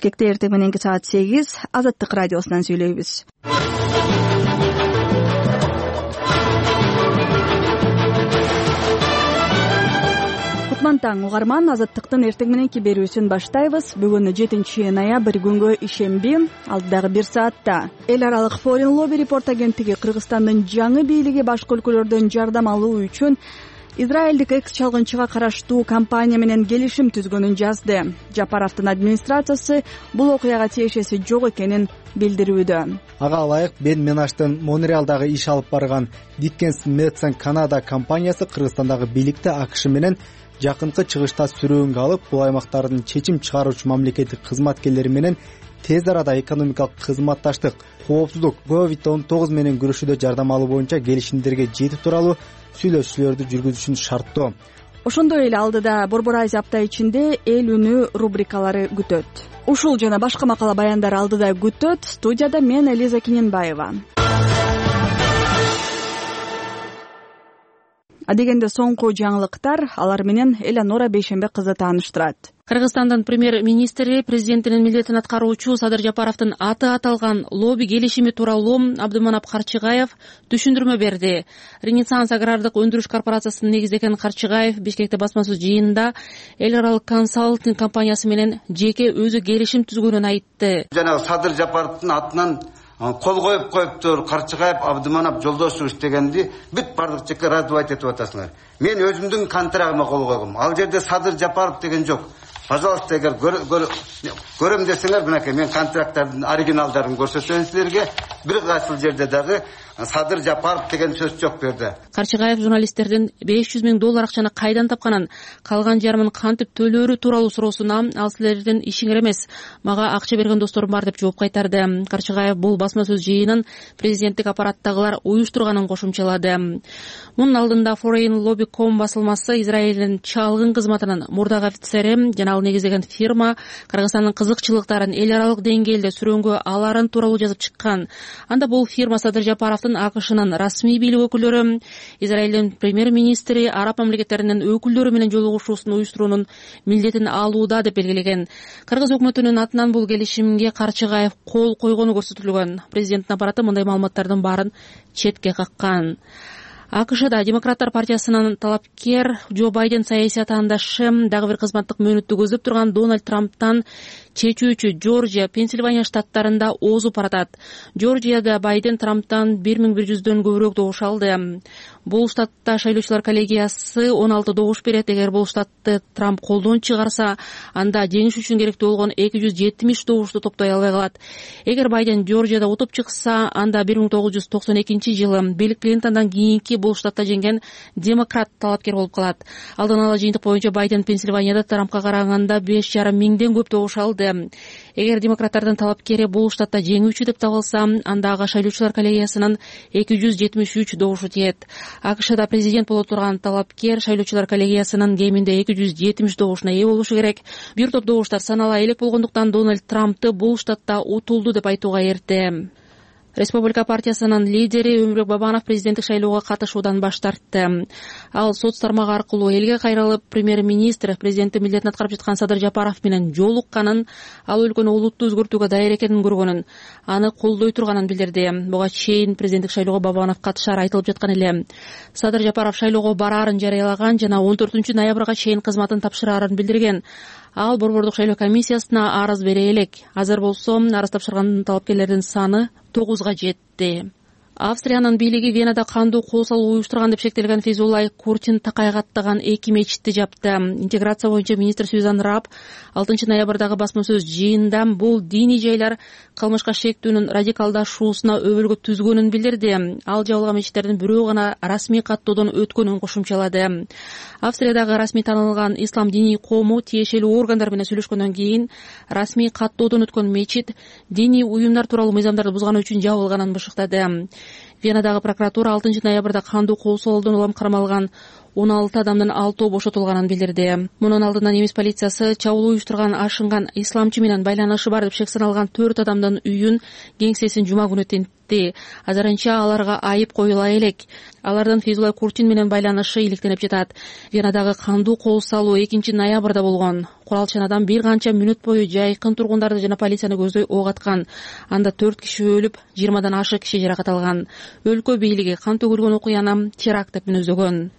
Бишкекте эртең мененки саат 8 Азаттык радиосунан сүйлөйбүз. Кутман таң угарман, Азаттыктын эртең мененки берүүсүн баштайбыз. Бүгүн 7 ноябрь күнгө ишемби. Алдыдагы 1 саатта эл аралык Foreign Lobby Report агенттиги Кыргызстандын жаңы бийлиги башка өлкөлөрдөн жардам алуу үчүн Израилдик экс-чалгынчыга караштуу компания менен келишим түзгөнүн жазды. Жапаровдун администрациясы бул окуяга тиешеси жок экенин билдирүүдө. Ага ылайык Бен Менаштын Монреалдагы иш алып барган Dickens Medicine Canada компаниясы Кыргызстандагы бийликти АКШ менен жакынкы чыгышта сүрөөнгө алып, бул аймактардын чечим чыгаруучу мамлекеттик кызматкерлери менен тез арада экономикалык кызматташтык, коопсуздук, COVID-19 менен күрөшүүдө жардам алуу боюнча келишимдерге жетүү тууралуу сүйлөшүүлөрдү жүргүзүшүн шарттоо. Ошондой эле алдыда Борбор Азия апта ичинде эл үнү рубрикалары күтөт. Ушул жана башка макала баяндар алдыда күтөт. Студияда мен Элиза Киненбаева. Адегенде соңку жаңылыктар, алар менен Элеонора Бейшембек кызы тааныштырат. Кыргызстандын премьер-министри президенттин милдетин аткаруучу Садыр Жапаровдун аты аталган лобби келишими тууралуу Абдыманап Карчыгаев түшүндүрмө берди. Ренессанс агрардык өндүрүш корпорациясынын негиздеген Карчыгаев Бишкекте басма сөз жыйынында эл аралык консалтинг компаниясы менен жеке өзү келишим түзгөнүн айтты. Жана Садыр Жапаровдун атынан кол коюптур Карчыгаев Абдыманап Жолдошович дегенди бүт бардык жакка раздавать этип атасыңар. Мен өзүмдүн контрагыма кол койгом. Ал жерде Садыр Жапаров деген жок. Пожалуйста, эгер көрөм десеңер, мынакей мен контракттардын оригиналдарын көрсөтөм силерге. Бир кайсыл жерде дагы Садыр Жапаров деген сөз жок берди. Карчыгаев журналисттердин $500,000 акчаны кайдан тапканын, калган жарымын кантип төлөөрү тууралуу суроосуна ал силердин ишиңер эмес, мага акча берген досторум бар деп жооп кайтарды. Карчыгаев бул басма сөз жыйынын президенттик аппараттагылар уюштурганын кошумчалады. Мунун алдында Foreign Lobby.com басылмасы Израилдин чалгын кызматынын мурдагы офицери жана ал негиздеген фирма Кыргызстандын кызыкчылыктарын эл аралык деңгээлде сүрөөнгө аларын тууралуу жазып чыккан. Анда бул фирма Садыр Жапаровдун АКШнын расмий бийлик өкүлдөрү, Израилдин премьер-министри, араб мамлекеттеринин өкүлдөрү менен жолугушуусун уюштуруунун милдетин алууда деп белгилеген. Кыргыз өкмөтүнүн атынан бул келишимге Карчыгаев кол койгону көрсөтүлгөн. Президенттин аппараты мындай маалыматтардын баарын четке каккан. АКШда Демократтар партиясынын талапкер Джо Байден саясий атаандашы дагы бир кызматтык мөөнөттү көздөп турган Дональд Трамптан чечүүчү Жоржия, Пенсильвания штаттарында озуп баратат. Жоржияда Байден Трамптан 1100дөн көбүрөөк добуш алды. Бул штатта шайлоочулар коллегиясы 16 добуш берет. Эгер бул штатты Трамп колдон чыгарса, анда жеңиш үчүн керектүү болгон 270 добушту топтой албай калат. Эгер Байден Жоржияда утуп чыкса, анда 1992-жылы Билл Клинтондан кийинки бул штатта жеңген демократ талапкер болуп калат. Алдын ала жыйынтык боюнча Байден Пенсильванияда Трампка караганда 5,5 миңден көп добуш алды. Эгер демократтардын талапкери бул штатта жеңүүчү деп табылса, анда ага шайлоочулар коллегиясынын 273 добушу тиет. АКШда президент боло турган талапкер шайлоочулар коллегиясынын кеминде 270 добушуна ээ болушу керек. Бир топ добуштар санала элек болгондуктан Дональд Трампты бул штатта утулду деп айтууга эрте. Республика партиясынын лидери Өмүрбек Бабанов президенттик шайлоого катышуудан баш тартты. Ал соц тармагы аркылуу элге кайрылып, премьер-министр президенттин милдетин аткарып жаткан Садыр Жапаров менен жолукканын, ал өлкөнү улуттуу өзгөртүүгө даяр экенин көргөнүн, аны колдой турганын билдирди. Буга чейин президенттик шайлоого Бабанов катышары айтылып жаткан эле. Садыр Жапаров шайлоого бараарын жарыялаган жана 14 ноябрга чейин кызматын тапшыраарын билдирген. Ал борбордук шайлоо комиссиясына арыз бере элек. Азыр болсо арыз тапшырган талапкерлердин саны 9га жетти. Австриянын бийлиги Венада кандуу кол салуу уюштурган деп шектелген Фейзуллай Куртин такайга аттаган 2 мечитти жапты. Интеграция боюнча министр Сюзан Раб 6 ноябрдагы басма сөз жыйында бул диний жайлар кылмышка шектүүнүн радикалдашуусуна өбөлгө түзгөнүн билдирди. Ал жабылган мечиттердин бирөө гана расмий каттоодон өткөнүн кошумчалады. Австриядагы расмий танылган ислам диний коому тиешелүү органдар менен сүйлөшкөндөн кийин расмий каттоодон өткөн мечит диний уюмдар тууралуу мыйзамдарды бузганы үчүн жабылганын бышыктады. Венадагы прокуратура 6 ноябрда кандуу кол салуудан улам кармалган 16 адамдын 6 бошотулганын билдирди. Мунун алдынан немис полициясы чабуул уюштурган ашынган исламчы менен байланышы бар деп шек саналган 4 адамдын үйүн, кеңсесин жума күнү айтты. Азырынча аларга айып коюла элек. Алардын Фейзулла Курчин менен байланышы иликтенип жатат. Венадагы кандуу кол салуу 2 ноябрда болгон. Куралчанадан бир канча мүнөт бою жайкын тургундарды жана полицияны көздөй ок аткан. Анда 4 киши өлүп, 20дан ашык киши жаракат алган. Өлкө бийлиги кан төгүлгөн окуяны теракт деп мүнөздөгөн.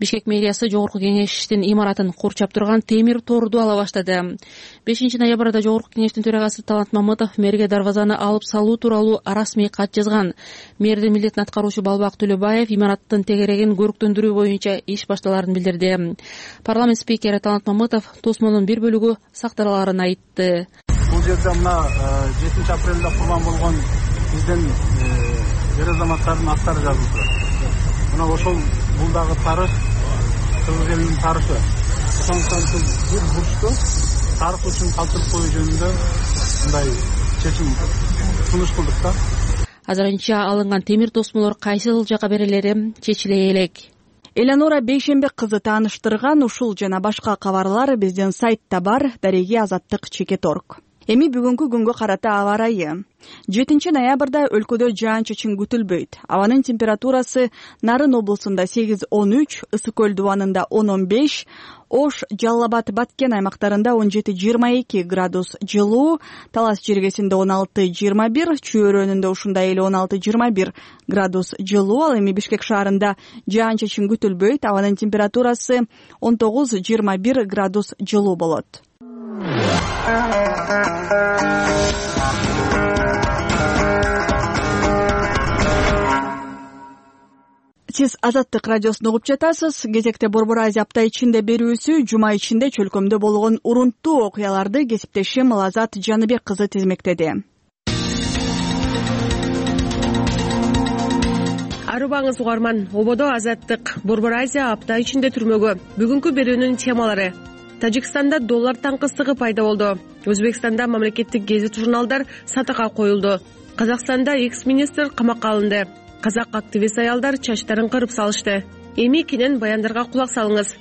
Бишкек мэриясы жогорку кеңештин имаратын курчап турган темир торду ала баштады. 5 ноябрда жогорку кеңештин төрагасы Талант Мамытов мэрге дарбазаны алып салуу тууралуу расмий кат жазган. Мэрдин милдетин аткаруучу Балбак Төлөбаев имараттын тегерегин көрүктөндүрүү боюнча иш башталарын билдирди. Парламент спикери Талант Мамытов тосмонун бир бөлүгү сакталарын айтты. Бул жерде мына 7 апрелде курман болгон биздин эр азаматтардын аттары жазылды. Мына ошол бул дагы тарых, кыргыз элинин тарыхы. Ошондуктан бир бурчту тарых үчүн калтырып коюу жөнүндө мындай чечим сунуш кылдык да. Азырынча алынган темир тосмолор кайсыл жака берилери чечиле элек. Элеонора Бейшембек кызы тааныштырган ушул жана башка кабарлар биздин сайтта бар. Дареги Азаттык ЧК.org. Эми бүгүнкү күнгө карата аба ырайы. 7 ноябрда өлкөдө жаан-чачын күтүлбөйт. Абанын температурасы Нарын облусунда 8-13, Ысык көл дубанында 10-15, Ош, Жалал Абад, Баткен аймактарында 17-22 градус жылуу, Талас жергесинде 16-21, Чүй-өрөөнүндө ушундай эле 16-21 градус жылуу. Ал эми Бишкек шаарында жаан-чачын күтүлбөйт. Абанын температурасы 19-21 градус жылуу болот. Сиз Азаттык радиосун угуп жатасыз. Кезекте Борбор Азия апта ичинде берүүсү жума ичинде чөлкөмдө болгон урунттуу окуяларды кесиптешим Лазат Жаныбек кызы тизмектеди. Арыбаңыз угарман, ободо Азаттык Борбор Азия апта ичинде түрмөгө. Бүгүнкү берүүнүн темалары: Тажикстанда доллар таңкыстыгы пайда болду. Өзбекстанда мамлекеттик гезит журналдар сатакка коюлду. Казакстанда экс-министр камакка алынды. Казак активист аялдар чачтарын кырып салышты. Эми кенен баяндарга кулак салыңыз.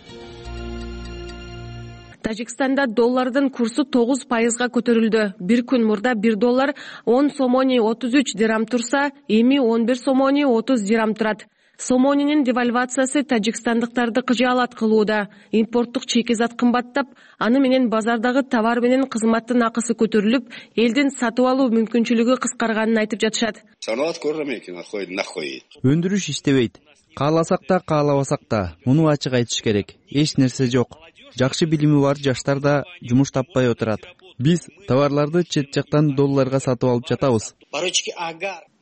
Тажикстанда доллардын курсу 9%га көтөрүлдү. Бир күн мурда 1 доллар 10 сомони 33 дирам турса, эми 11 сомони 30 дирам турат. Сомонинин девальвациясы тажикстандыктарды кыжаалат кылууда. Импорттук чекизат кымбаттап, аны менен базардагы товар менен кызматтын акысы көтөрүлүп, элдин сатып алуу мүмкүнчүлүгү кыскарганын айтып жатышат. Өндүрүш иштебейт. Кааласак да, каалабасак да, муну ачык айтыш керек. Эч нерсе жок. Жакшы билими бар жаштар да жумуш таппай отурат. Биз товарларды чет жактан долларга сатып алып жатабыз.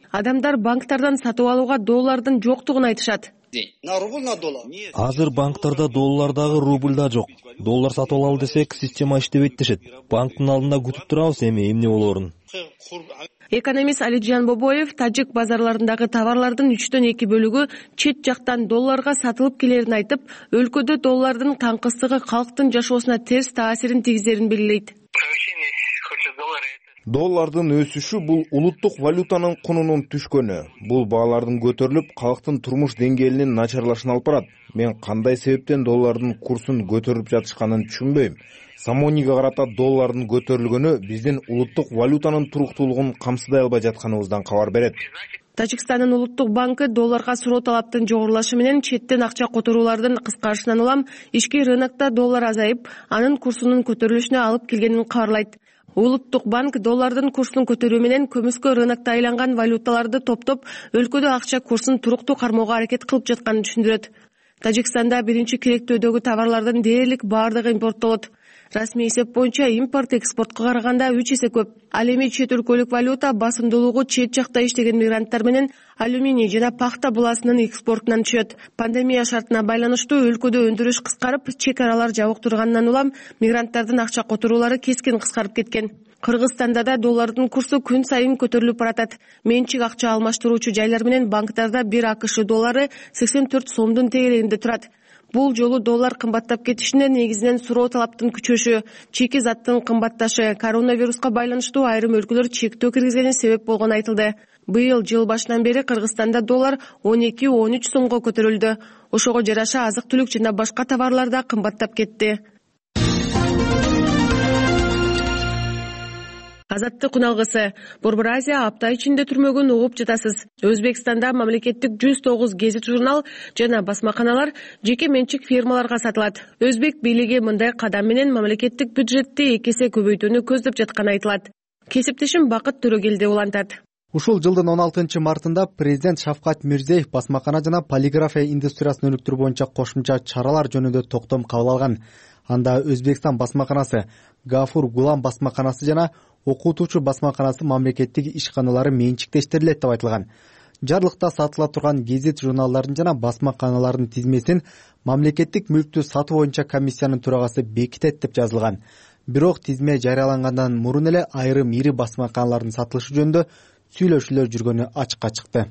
Адамдар банктардан сатып алууга доллардын жоктугун айтышат. Азыр банктарда доллар дагы, рубль да жок. Доллар сатып алалы десек, система иштебейт дешет. Банктын алдында күтүп турабыз эмне болоорун. Экономист Алиджан Бобоев тажик базарларындагы товарлардын 3/2 бөлүгү чет жактан долларга сатылып келерин айтып, өлкөдө доллардын таңкыстыгы калктын жашоосуна терс таасирин тийгизерин белгилейт. Доллардын өсүшү бул улуттук валютанын кунунун түшкөнү. Бул баалардын көтөрүлүп, калктын турмуш деңгээлинин начарлашына алып барат. Мен кандай себептен доллардын курсун көтөрүп жатышканын түшүнбөйм. Самониге карата доллардын көтөрүлгөнү биздин улуттук валютанын туруктуулугун камсыдай албай жатканыбыздан кабар берет. Тажикстандын улуттук банкы долларга суроо талаптын жогорулашы менен четтен акча которуулардын кыскарышынан улам ички рынокто доллар азайып, анын курсунун көтөрүлүшүнө алып келгенин кабарлайт. Улуттук банк доллардын курсун көтөрүү менен көмүскө рынокто айланган валюталарды топтоп, өлкөдө акча курсун туруктуу кармоого аракет кылып жатканын түшүндүрөт. Тажикстанда биринчи керектөөдөгү товарлардын дээрлик баардыгы импорттолот. Расмий эсеп боюнча импорт экспортко караганда 3 эсе көп. Ал эми чет өлкөлүк валюта басымдуулугу чет жакта иштеген мигранттар менен алюминий жана пахта буласынын экспортунан түшөт. Пандемия шартына байланыштуу өлкөдө өндүрүш кыскарып, чек аралар жабык турганынан улам мигранттардын акча которуулары кескин кыскарып кеткен. Кыргызстанда да доллардын курсу күн сайын көтөрүлүп баратат. Менчик акча алмаштыруучу жайлар менен банктарда 1 АКШ доллары 84 сомдун тегерегинде турат. Бул жолу доллар кымбаттап кетишине негизинен суроо талаптын күчөшү, чеки заттын кымбатташы, коронавируска байланыштуу айрым өлкөлөр чектөө киргизгени себеп болгону айтылды. Быйыл жыл башынан бери Кыргызстанда доллар 12-13 сомго көтөрүлдү. Ошого жараша азык-түлүк жана башка товарлар да кымбаттап кетти. Азаттык күналгысы. Борбор Азия апта ичинде түрмөгөн угуп жатасыз. Өзбекстанда мамлекеттик 109 гезит журнал жана басмаканалар жеке менчик фирмаларга сатылат. Өзбек бийлиги мындай кадам менен мамлекеттик бюджетти 2 эсе көбөйтүүнү көздөп жатканы айтылат. Кесиптешим Бакыт Төрөгелди улантат. Ушул жылдын 16 мартында президент Шавкат Мирзиеев басмакана жана полиграфия индустриясын өнүктүрүү боюнча кошумча чаралар жөнүндө токтом кабыл алган. Анда Өзбекстан басмаканасы, Гафур Гулам басмаканасы жана окутуучу басмаканасы мамлекеттик ишканалары менчиктештирилет деп айтылган. Жарлыкта сатыла турган гезит журналдардын жана басмаканалардын тизмесин мамлекеттик мүлктү сатуу боюнча комиссиянын төрагасы бекитет деп жазылган. Бирок тизме жарыялангандан мурун эле айрым ири басмаканалардын сатылышы жөнүндө сүйлөшүүлөр жүргөнү ачыкка чыкты.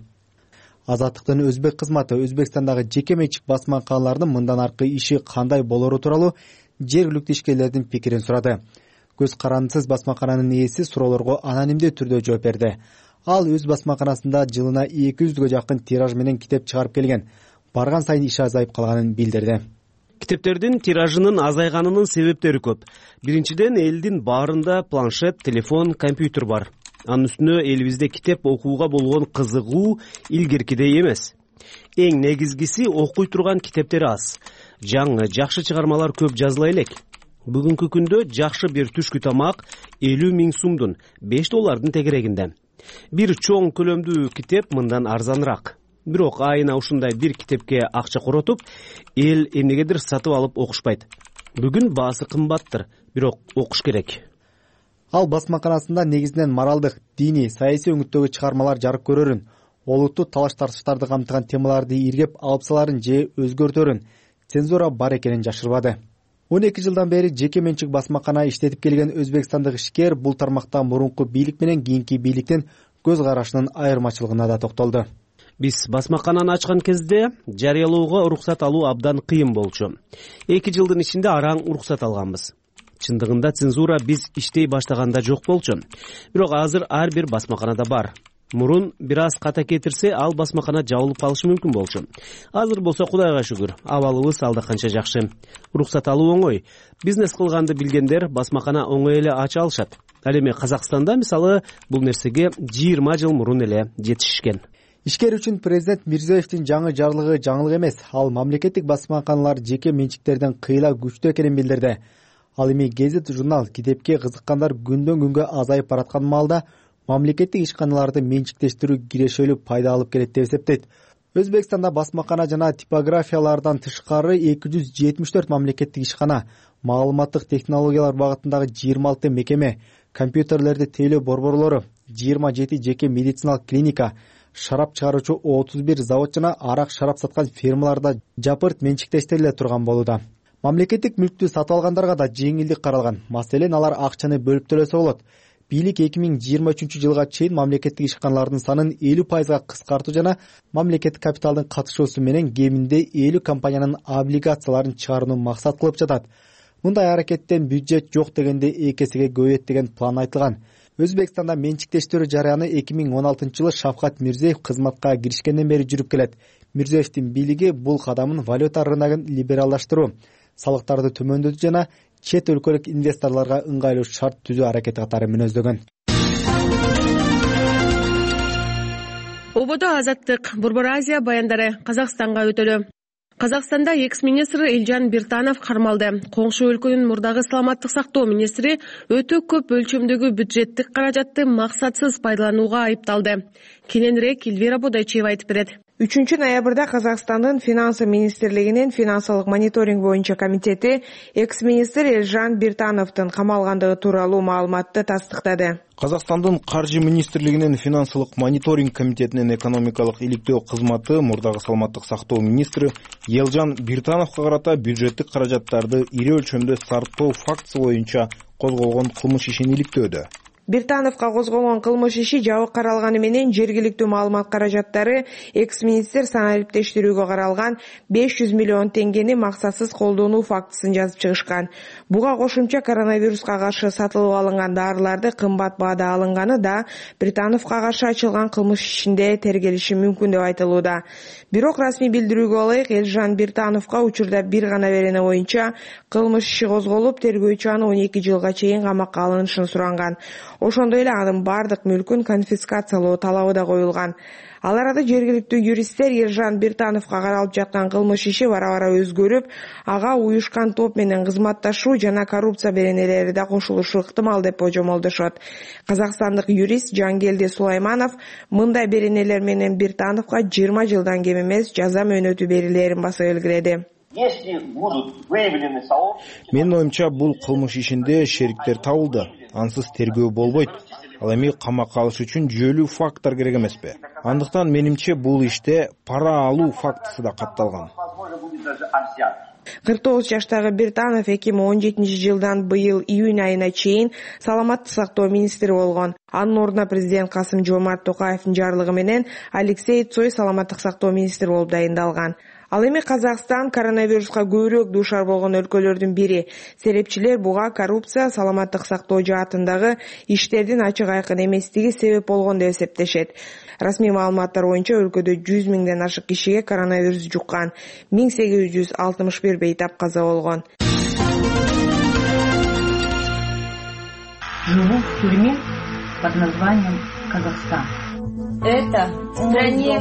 Азаттыктын өзбек кызматы Өзбекстандагы жеке менчик басмаканалардын мындан аркы иши кандай болору тууралуу жергиликтүү ишкерлердин пикирин сурады. Көз карандысыз басмакананын ээси суроолорго анонимдүү түрдө жооп берди. Ал өз басмаканасында жылына 200гө жакын тираж менен китеп чыгарып келген. Барган сайын иши азайып калганын билдирди. Китептердин тиражынын азайганынын себептери көп. Биринчиден, элдин баарында планшет, телефон, компьютер бар. Анын үстүнө элибизде китеп окууга болгон кызыгуу илгеркидей эмес. Эң негизгиси, окуй турган китептер аз. Жаңы, жакшы чыгармалар көп жазыла элек. Бүгүнкү күндө жакшы бир түшкү тамак 50 000 сумдун, $5 тегерегинде. Бир чоң көлөмдүү китеп мындан арзаныраак. Бирок айына ушундай бир китепке акча коротуп, эл эмнегедир сатып алып окушпайт. Бүгүн баасы кымбаттыр, бирок окуш керек. Ал басмаканасында негизинен моралдык, диний, саясий өңүттөгү чыгармалар жарык көрөрүн, олуттуу талаш-тартыштарды камтыган темаларды иргеп алып саларын же өзгөртөрүн, цензура бар экенин жашырбады. 12 жылдан бери жеке менчик басмакана иштетип келген өзбекстандык ишкер бул тармакта мурунку бийлик менен кийинки бийликтин көз карашынын айырмачылыгына да токтолду. Биз басмакананы ачкан кезде жарыялоого уруксат алуу абдан кыйын болчу. 2 жылдын ичинде араң уруксат алганбыз. Чындыгында цензура биз иштей баштаганда жок болчу. Бирок азыр ар бир басмаканада бар. Мурун бир аз ката кетирсе, ал басмакана жабылып калышы мүмкүн болчу. Азыр болсо Кудайга шүгүр, абалыбыз алда канча жакшы. Уруксат алуу оңой. Бизнес кылганды билгендер басмакана оңой эле ача алышат. Ал эми Казакстанда мисалы бул нерсеге 20 жыл мурун эле жетишишкен. Ишкер үчүн президент Мирзиевдин жаңы жарлыгы жаңылык эмес. Ал мамлекеттик басмаканалар жеке менчиктерден кыйла күчтүү экенин билдирди. Ал эми гезит журнал, китепке кызыккандар күндөн күнгө азайып бараткан маалда мамлекеттик ишканаларды менчиктештирүү кирешелүү пайда алып келет деп эсептейт. Өзбекстанда басмакана жана типографиялардан тышкары 274 мамлекеттик ишкана, маалыматтык технологиялар багытындагы 26 мекеме, компьютерлерди тейлөө борборлору, 27 жеке медициналык клиника, шарап чыгаруучу 31 завод жана арак шарап саткан фирмаларда жапырт менчиктештириле турган болууда. Мамлекеттик мүлктү сатып алгандарга да жеңилдик каралган. Маселен, алар акчаны бөлүп төлөсө болот. Бийлик 2023 жылга чейин мамлекеттик ишканалардын санын 50% кыскартуу жана мамлекеттик капиталдын катышуусу менен кеминде 50 компаниянын облигацияларын чыгарууну максат кылып жатат. Мындай аракеттен бюджет жок дегенде 2 эсеге көбөйөт деген план айтылган. Өзбекстанда менчиктештирүү жараяны 2016 жылы Шавкат Мирзиеев кызматка киришкенден бери жүрүп келет. Мирзиевдин бийлиги бул кадамын валюта рыногун либералдаштыруу, салыктарды төмөндөтүү жана чет өлкөлүк инвесторлорго ыңгайлуу шарт түзүү аракети катары мүнөздөгөн. Ободо азаттык. Борбор Азия баяндары Казакстанга өтөлү. Казакстанда экс-министр Элжан Биртанов кармалды. Коңшу өлкөнүн мурдагы саламаттык сактоо министри өтө көп өлчөмдөгү бюджеттик каражатты максатсыз пайдаланууга айыпталды. Кененирээк Эльвира Бодойчиева айтып берет. 3 ноябрда Казакстандын финансы министрлигинин финансылык мониторинг боюнча комитети экс-министр Элжан Биртановдун камалгандыгы тууралуу маалыматты тастыктады. Казакстандын каржы министрлигинин финансылык мониторинг комитетинин экономикалык иликтөө кызматы мурдагы саламаттык сактоо министри Элжан Биртановго карата бюджеттик каражаттарды ири өлчөмдө сарптоо фактысы боюнча козголгон кылмыш ишин иликтөөдө. Биртановго козголгон кылмыш иши жабык каралганы менен жергиликтүү маалымат каражаттары экс-министр саналиптештирүүгө каралган 500 миллион теңгени максатсыз колдонуу фактысын жазып чыгышкан. Буга кошумча коронавируска каршы сатылып алынган дарыларды кымбат баада алынганы да Биртановго каршы ачылган кылмыш ишинде тергелиши мүмкүн деп айтылууда. Бирок расмий билдирүүгө ылайык Элжан Биртановго учурда бир гана берене боюнча кылмыш иши козголуп, тергөөчү аны 12 жылга чейин камакка алынышын суранган. Ошондой эле анын бардык мүлкүн конфискациялоо талабы да коюлган. Ал арада жергиликтүү юристтер Ержан Биртановго каралып жаткан кылмыш иши бара-бара өзгөрүп, ага уюшкан топ менен кызматташуу жана коррупция беренелери да кошулушу ыктымал деп божомолдошот. Казакстандык юрист Жангелди Сулайманов мындай беренелер менен Биртановго 20 жылдан кем эмес жаза мөөнөтү берилерин баса белгиледи. Менин оюмча, бул кылмыш ишинде шериктер табылды. Ансыз тергөө болбойт. Ал эми камакка алыш үчүн жүйөлүү факттар керек эмеспи? Андыктан менимче бул иште пара алуу фактысы да катталган. 49 жаштагы Биртанов 2017 жылдан быйыл июнь айына чейин саламаттык сактоо министри болгон. Анын ордуна президент Касым-Жомарт Токаевдин жарлыгы менен Алексей Цой саламаттык сактоо министри болуп дайындалган. Ал эми Казакстан коронавируска көбүрөөк дуушар болгон өлкөлөрдүн бири. Серепчилер буга коррупция, саламаттык сактоо жаатындагы иштердин ачык айкын эместиги себеп болгон деп эсептешет. Расмий маалыматтар боюнча өлкөдө 100 миңден ашык кишиге коронавирус жуккан, 1861 бейтап каза болгон. Живу в тюрьме под названием Казахстан. Это в стране,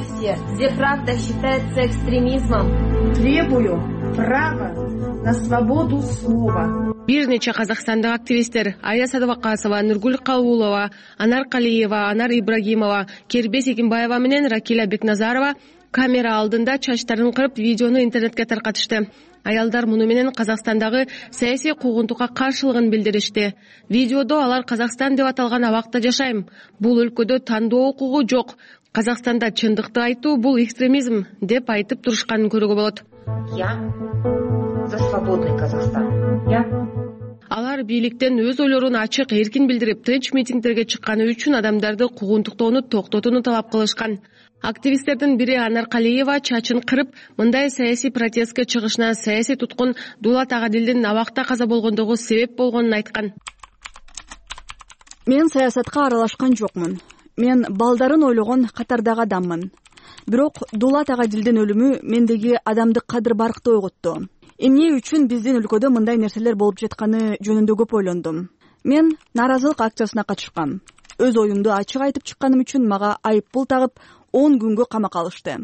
где правда считается экстремизмом. Требую права на свободу слова. Бир нече казакстандык активисттер Ая Садыбакасова, Нургүл Калуулова, Анар Калиева, Анар Ибрагимова, Кербес Экимбаева менен Ракиля Бекназарова камера алдында чачтарын кырып видеону интернетке таркатышты. Аялдар муну менен Казакстандагы саясий куугунтукка каршылыгын билдиришти. Видеодо алар Казакстан деп аталган абакта жашайм. Бул өлкөдө тандоо укугу жок. Казакстанда чындыкты айтуу бул экстремизм деп айтып турушканын көрүүгө болот. Я за свободный Казахстан. Алар бийликтен өз ойлорун ачык, эркин билдирип, тынч митингдерге чыкканы үчүн адамдарды куугунтуктоону токтотууну талап кылышкан. Активисттердин бири Анар Калиева чачын кырып, мындай саясий протестке чыгышына саясий туткун Дулат Агадилдин абакта каза болгондугу себеп болгонун айткан. Мен саясатка аралашкан жокмун. Мен балдарын ойлогон катардагы адаммын. Бирок Дулат Агадилдин өлүмү мендеги адамдык кадыр-баркты ойготту. Эмне үчүн биздин өлкөдө мындай нерселер болуп жатканы жөнүндө көп ойлондум. Мен нааразылык акциясына катышкам. Өз оюмду ачык айтып чыкканым үчүн мага айыппул тагып 10 күнгө камакка алышты.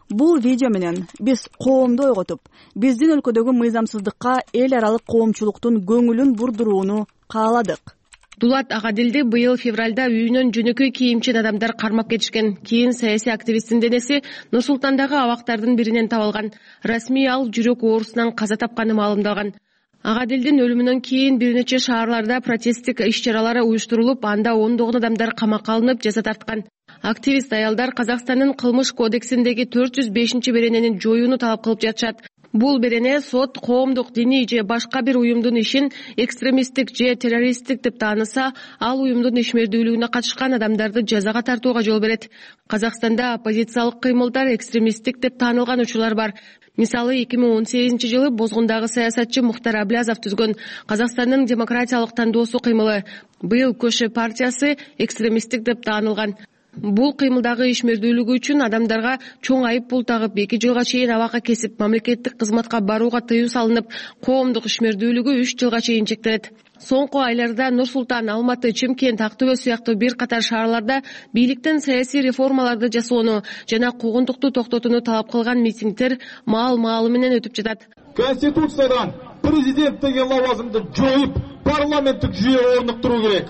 Бул видео менен биз коомду ойготуп, биздин өлкөдөгү мыйзамсыздыкка эл аралык коомчулуктун көңүлүн бурдурууну кааладык. Дулат Агадилди быйыл февралда үйүнөн жөнөкөй кийимчен адамдар кармап кетишкен. Кийин саясий активисттин денеси Нур-Султандагы абактардын биринен табылган. Расмий ал жүрөк оорусунан каза тапканы маалымдалган. Агадилдин өлүмүнөн кийин бир нече шаарларда протесттик иш-чаралары уюштурулуп, анда ондогон адамдар камакка алынып, жаза тарткан. Активист аялдар Казакстандын кылмыш кодексиндеги 405 беренени жоюуну талап кылып жатышат. Бул берене сот коомдук, диний же башка бир уюмдун ишин экстремисттик же террористтик деп тааныса, ал уюмдун ишмердүүлүгүнө катышкан адамдарды жазага тартууга жол берет. Казакстанда оппозициялык кыймылдар экстремисттик деп таанылган учурлар бар. Мисалы 2018 жылы Бозгундагы саясатчы Мухтар Аблязов түзгөн Казакстандын демократиялык тандоосу кыймылы, быйыл Көшө партиясы экстремисттик деп таанылган. Бул кыймылдагы ишмердүүлүгү үчүн адамдарга чоң айып пул тагып 2 жылга чейин абакка кесип, мамлекеттик кызматка барууга тыюу салынып, коомдук ишмердүүлүгү 3 жылга чейин чектелет. Соңку айларда Нур-Султан, Алматы, Чымкент, Актөбө сыяктуу бир катар шаарларда бийликтен саясий реформаларды жасоону жана куугунтукту токтотууну талап кылган митингдер маал-маалы менен өтүп жатат. Конституциядан президент деген лауазымды жоюп, парламенттик жүйө орнуктуруу керек.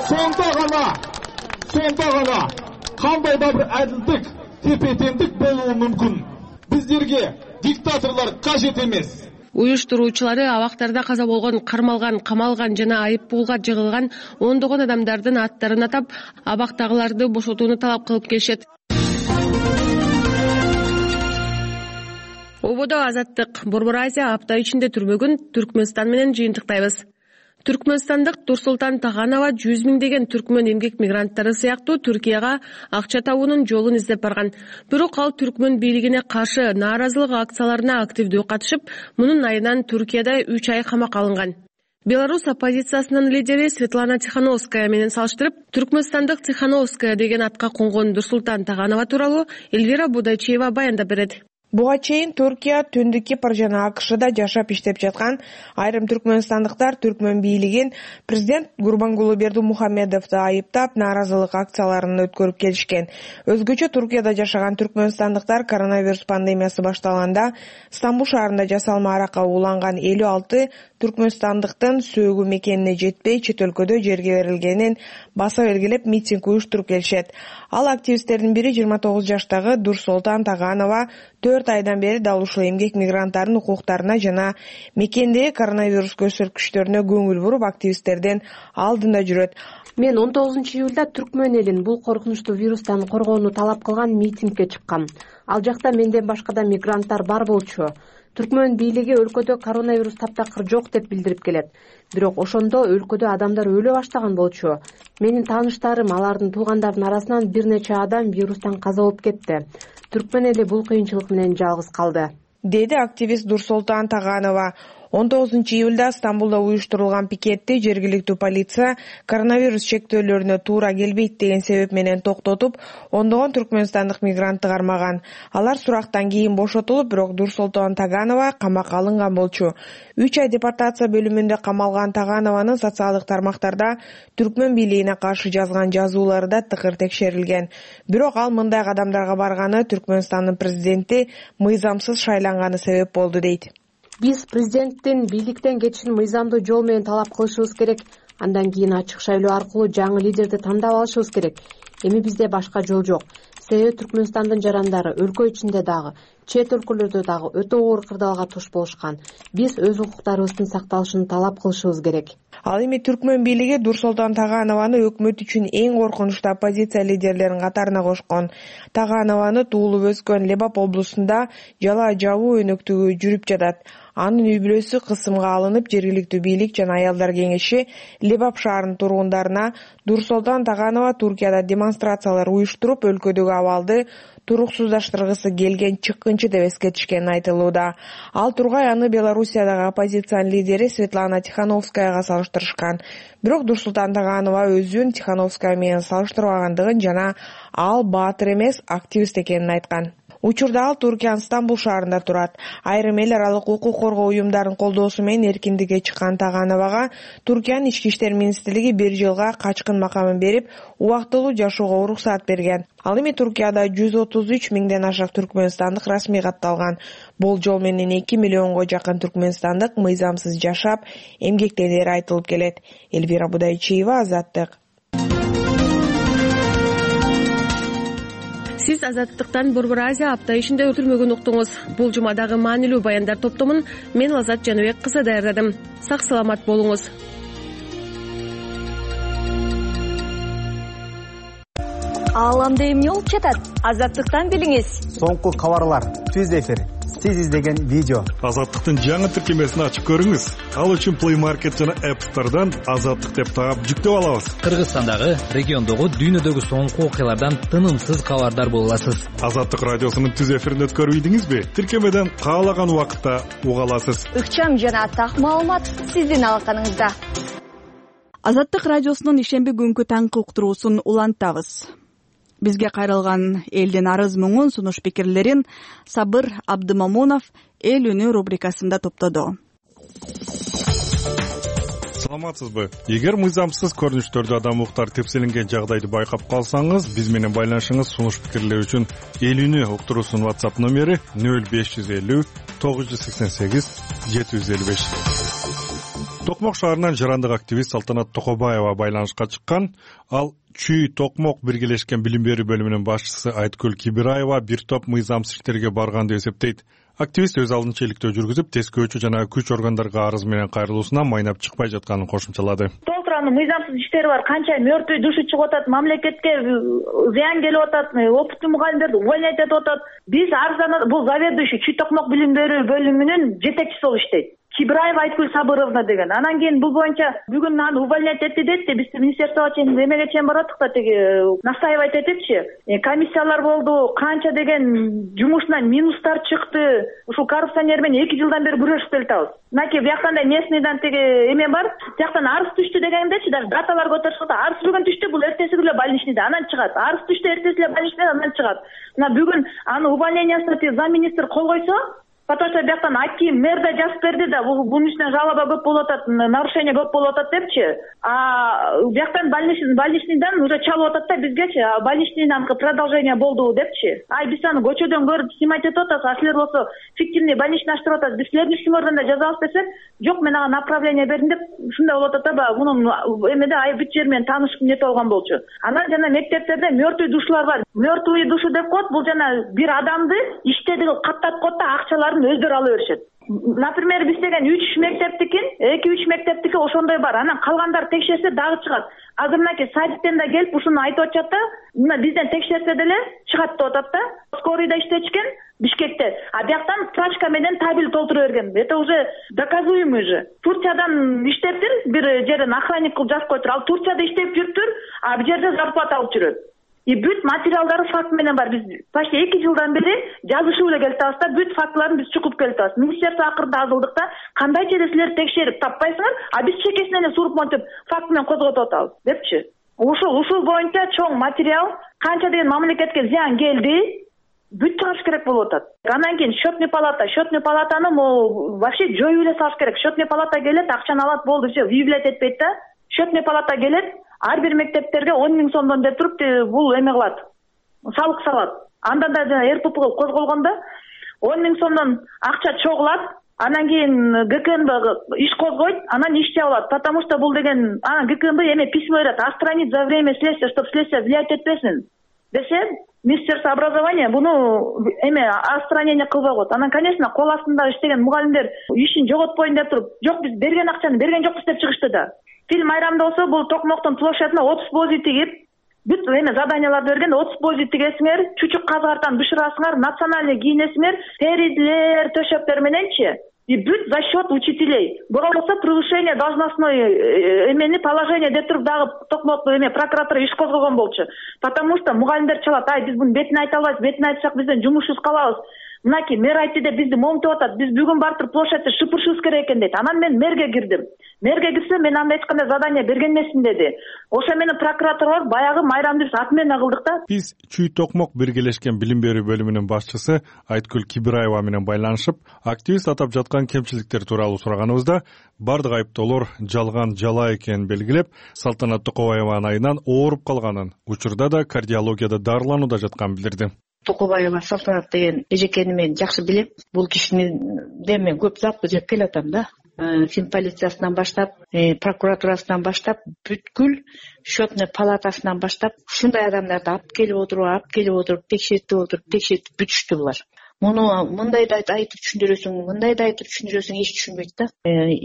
Сонда гана кандай да бир адилдик, тепе-теңдик болуу мүмкүн. Биздерге диктаторлор кажет эмес. Уюштуруучулары абактарда каза болгон, кармалган, камалган жана айыппулга жыгылган ондогон адамдардын аттарын атап, абактагыларды бошотууну талап кылып келишет. Ободо Азаттык, Борбор Азия апта ичинде түрмөгүн Түркмөнстан менен жыйынтыктайбыз. Түркмөнстандык Турсултан Таханова 100 миңдеген түркмөн эмгек мигранттары сыяктуу Түркияга акча табуунун жолун издеп барган. Бирок ал түркмөн бийлигине каршы нааразылык акцияларына активдүү катышып, мунун айынан Түркияда 3 ай камакка алынган. Беларусь оппозициясынын лидери Светлана Тихановская менен салыштырып, түркмөнстандык Тихановская деген атка конгон Турсултан Таханова тууралуу Эльвира Будайчиева баяндап берет. Буга чейин Туркия, Түндүк Кипр жана АКШда жашап иштеп жаткан айрым түркмөнстандыктар түркмөн бийлигин президент Гурбангулы Бердимухамедовду айыптап нааразылык акцияларын өткөрүп келишкен. Өзгөчө Туркияда жашаган түркмөнстандыктар коронавирус пандемиясы башталганда Стамбул шаарында жасалма аракка уланган 56 түркмөнстандыктын сөөгү мекенине жетпей чет өлкөдө жерге берилгенин баса белгилеп митинг уюштуруп келишет. Ал активисттердин бири 29 жаштагы Дурсултан Таганова 4 айдан бери дал ушул эмгек мигранттарынын укуктарына жана мекендеги коронавирус көрсөткүчтөрүнө көңүл буруп активисттердин алдында жүрөт. Мен 19-июлда түркмөн элин бул коркунучтуу вирустан коргоону талап кылган митингге чыккам. Ал жакта менден башка да мигранттар бар болчу. Түркмөн бийлиги өлкөдө коронавирус таптакыр жок деп билдирип келет. Бирок ошондо өлкөдө адамдар өлө баштаган болчу. Менин тааныштарым, алардын туугандарынын арасынан бир нече адам вирустан каза болуп кетти. Түркмөн эли бул кыйынчылык менен жалгыз калды, деди активист Дурсултан Таганова. 19-июлда Стамбулда уюштурулган пикетти жергиликтүү полиция коронавирус чектөөлөрүнө туура келбейт деген себеп менен токтотуп, ондогон түркмөнстандык мигрантты кармаган. Алар сурактан кийин бошотулуп, бирок Дурсултан Таганова камакка алынган болчу. 3 ай депортация бөлүмүндө камалган Таганованын социалдык тармактарда түркмөн бийлигине каршы жазган жазуулары да тыкыр текшерилген. Бирок ал мындай кадамдарга барганы Түркмөнстандын президенти мыйзамсыз шайланганы себеп болду дейт. Биз президенттин бийликтен кетишин мыйзамдуу жол менен талап кылышыбыз керек. Андан кийин ачык шайлоо аркылуу жаңы лидерди тандап алышыбыз керек. Эми бизде башка жол жок. Себеби Түркмөнстандын жарандары өлкө ичинде дагы, чет өлкөлөрдө дагы өтө оор кырдаалга туш болушкан. Биз өз укуктарыбыздын сакталышын талап кылышыбыз керек. Ал эми түркмөн бийлиги Дурсултан Таганованы өкмөт үчүн эң коркунучтуу оппозиция лидерлеринин катарына кошкон. Таганованы туулуп өскөн Лебап облусунда жала жабуу өнөктүгү жүрүп жатат. Анын үй бүлөсү кысымга алынып, жергиликтүү бийлик жана аялдар кеңеши Лебап шаарынын тургундарына Дурсултан Таганова Туркияда демонстрациялар уюштуруп, өлкөдөгү абалды туруксуздаштыргысы келген чыккынчы деп эскертишкени айтылууда. Ал тургай аны Белоруссиядагы оппозициянын лидери Светлана Тихановскаяга салыштырышкан. Бирок Дурсултан Таганова өзүн Тихановская менен салыштырбагандыгын жана ал баатыр эмес, активист экенин айткан. Учурда ал Туркиянын Стамбул шаарында турат. Айрым эл аралык укук коргоо уюмдарынын колдоосу менен эркиндикке чыккан Тагановага Туркиянын ички иштер министрлиги 1 жылга качкын макамын берип, убактылуу жашоого уруксаат берген. Ал эми Туркияда 133 миңден ашык түркмөнстандык расмий катталган. Болжол менен 2 миллионго жакын түркмөнстандык мыйзамсыз жашап, эмгектенери айтылып келет. Элвира Будайчиева, Азаттык. Сиз Азаттыктан Борбор Азия апта ишинде өтүлмөгөн уктуңуз. Бул жумадагы маанилүү баяндар топтомун мен Азат Жаныбек кызы даярдадым. Сак саламат болуңуз. Ааламда эмне болуп жатат? Азаттыктан билиңиз. Соңку кабарлар, түз эфир, сиз издеген видео. Азаттыктын жаңы тиркемесин ачып көрүңүз. Ал үчүн Play Market жана App Store'дан Азаттык деп таап жүктөп алабыз. Кыргызстандагы, региондогу, дүйнөдөгү соңку окуялардан тынымсыз кабардар боло аласыз. Азаттык радиосунун түз эфирин өткөрүп ийдиңизби? Тиркемеден каалаган убакытта уга аласыз. Ыкчам жана так маалымат сиздин алаканыңызда. Азаттык радиосунун ишемби күнкү таңкы уктуруусун улантабыз. Бизге кайрылган элдин арыз муңун, сунуш пикирлерин Сабыр Абдымамунов Эл үнү рубрикасында топтоду. Саламатсызбы? Эгер мыйзамсыз көрүнүштөрдө адам укуктары тепселенген жагдайды байкап калсаңыз, биз менен байланышыңыз. Сунуш пикирлер үчүн Эл үнү уктуруусунун WhatsApp номери 0550 988 755. Токмок шаарынан жарандык активист Салтанат Токобаева байланышка чыккан. Ал Чүй Токмок биргелешкен билим берүү бөлүмүнүн башчысы Айткүл Кибираева бир топ мыйзамсыз иштерге барган деп эсептейт. Активист өз алдынча иликтөө жүргүзүп, тескөөчү жана күч органдарга арыз менен кайрылуусунан майнап чыкпай жатканын кошумчалады. Толтуранын мыйзамсыз иштери бар, канча мертвый душу чыгып атат, мамлекетке зыян келип атат, опыттуу мугалимдерди увольнять этип атат. Биз арызданат, бул заведующий Чүй Токмок билим берүү бөлүмүнүн жетекчиси болуп иштейт. Кибраева Айткүл Сабыровна деген. Анан кийин бул боюнча бүгүн аны увольнять этти деди. Биз министерствого чейин эмеге чейин бараттык да, тиги настаивать этипчи. Комиссиялар болду, канча деген жумушунан минустар чыкты. Ушул коррупционер менен 2 жылдан бери күрөшүп келатабыз. Мынакей бияктан да местныйдан тиги эме бар. Бияктан арыз түштү дегендечи, даже даталар көтөрүшүп атат. Арыз бүгүн түштү, бул эртеси эле больничныйда, анан чыгат. Арыз түштү, эртеси эле больничныйда, анан чыгат. Мына бүгүн аны увольнениясына замминистр кол койсо, потому что бияктан аким мэр да жазып берди да, бунун үстүнөн жалоба көп болуп атат, нарушение көп болуп атат депчи. Бияктан больничныйдан уже чалып атат да бизгечи, больничныйдан продолжение болду депчи. Биз аны көчөдөн көрүп снимать этип атабыз, а силер болсо фиктивный больничный ачтырып атасыз. Биз силердин ишиңерден да жазабыз десек, жок мен ага направление бердим деп ушундай болуп атат да, мунун эмеде бүт жер менен таанышып нете болгон болчу. Анан жана мектептерде мертвый душалар бар. Мертвый душу деп коет, бул жана бир адамды иштеди кылып каттап коет да, акчалар өздөрү ала беришет. Например, биз деген 3 мектептикин, 2-3 мектептики ошондой бар. Анан калгандар текшерсе дагы чыгат. Азыр мынакей садиктен да келип ушуну айтып атышат да, мына бизден текшерсе деле чыгат деп атат да. Скорыйда иштечкен Бишкекте. Бияктан справка менен табель толтура берген. Это уже доказуемый же. Турциядан иштептир, бир жерден охранник кылып жазып коюптур. Ал Турцияда иштеп жүрүптүр, бул жерде зарплата алып жүрөт. Бүт материалдары факт менен бар. Биз почти 2 жылдан бери жазышып эле келатабыз да, бүт фактыларын биз чукуп келатабыз. Министерство акырында азылдык да, кандайча эле силер текшерип таппайсыңар, биз чекесинен эле суруп монтип факт менен козготуп атабыз депчи. Ушул боюнча чоң материал, канча деген мамлекетке зыян келди, бүт чыгыш керек болуп атат. Андан кийин счетный палатаны вообще жоюп эле салыш керек. Счетный палата келет, акчаны алат, болду, все, выявлять этпейт да. Счетный палата келет, ар бир мектептерге 10 000 сомдон деп туруп бул эме кылат, салык салат. Анда да жана РПП козголгондо 10 000 сомдон акча чогулат, анан кийин ГКНБ иш козгойт, анан иш жабылат. Потому что бул деген, анан ГКНБ эме письмо берет, отстранить за время следствия, чтобы следствие влиять этпесин десе, Министерство образования буну эме отстранение кылбай коет. Анан, конечно, кол астында иштеген мугалимдер ишин жоготпойн деп туруп, жок биз берген акчаны берген жокпуз деп чыгышты да. Фил майрамда болсо, бул Токмоктун площадына 30 бози тигип, бүт эме заданияларды берген, 30 бози тигесиңер, чучук казгартан бышырасыңар, национальный кийинесиңер, теризлер, төшөктөр мененчи. И бүт за счет учителей. Болбосо превышение должностной эмени положение деп туруп дагы Токмок эме прокуратура иш козгогон болчу. Потому что мугалимдер чалат, биз буну бетине айта албайбыз, бетине айтсак бизден жумушубуз калабыз. Мынакей мэр айтты деп бизди момтуп атат. Биз бүгүн барып площадьты шыпырышыбыз керек экен дейт. Анан мен мэрге кирдим. Мэрге кирсем, мен анда эч кандай задание берген эмесмин деди. Ошо менен прокуратура баягы майрамды ат менен кылдык да. Биз Чүй Токмок биргелешкен билим берүү бөлүмүнүн башчысы Айткүл Кибраева менен байланышып, активист атап жаткан кемчиликтер тууралуу сураганыбызда, бардык айыптоолор жалган жала экенин белгилеп, Салтанат Токобаеванын айынан ооруп калганын, учурда да кардиологияда дарыланууда жатканын билдирди. Токобаева Салтанат деген эжекени мен жакшы билем. Бул кишини мен көп запы жеп келатам да. Фин полициясынан баштап, прокуратурасынан баштап, бүткүл счетный палатасынан баштап, ушундай адамдарды алып келип отуруп, текшертип бүтүштү булар. Муну мындай да айтып түшүндүрөсүң, мындай да айтып түшүндүрөсүң, эч түшүнбөйт да.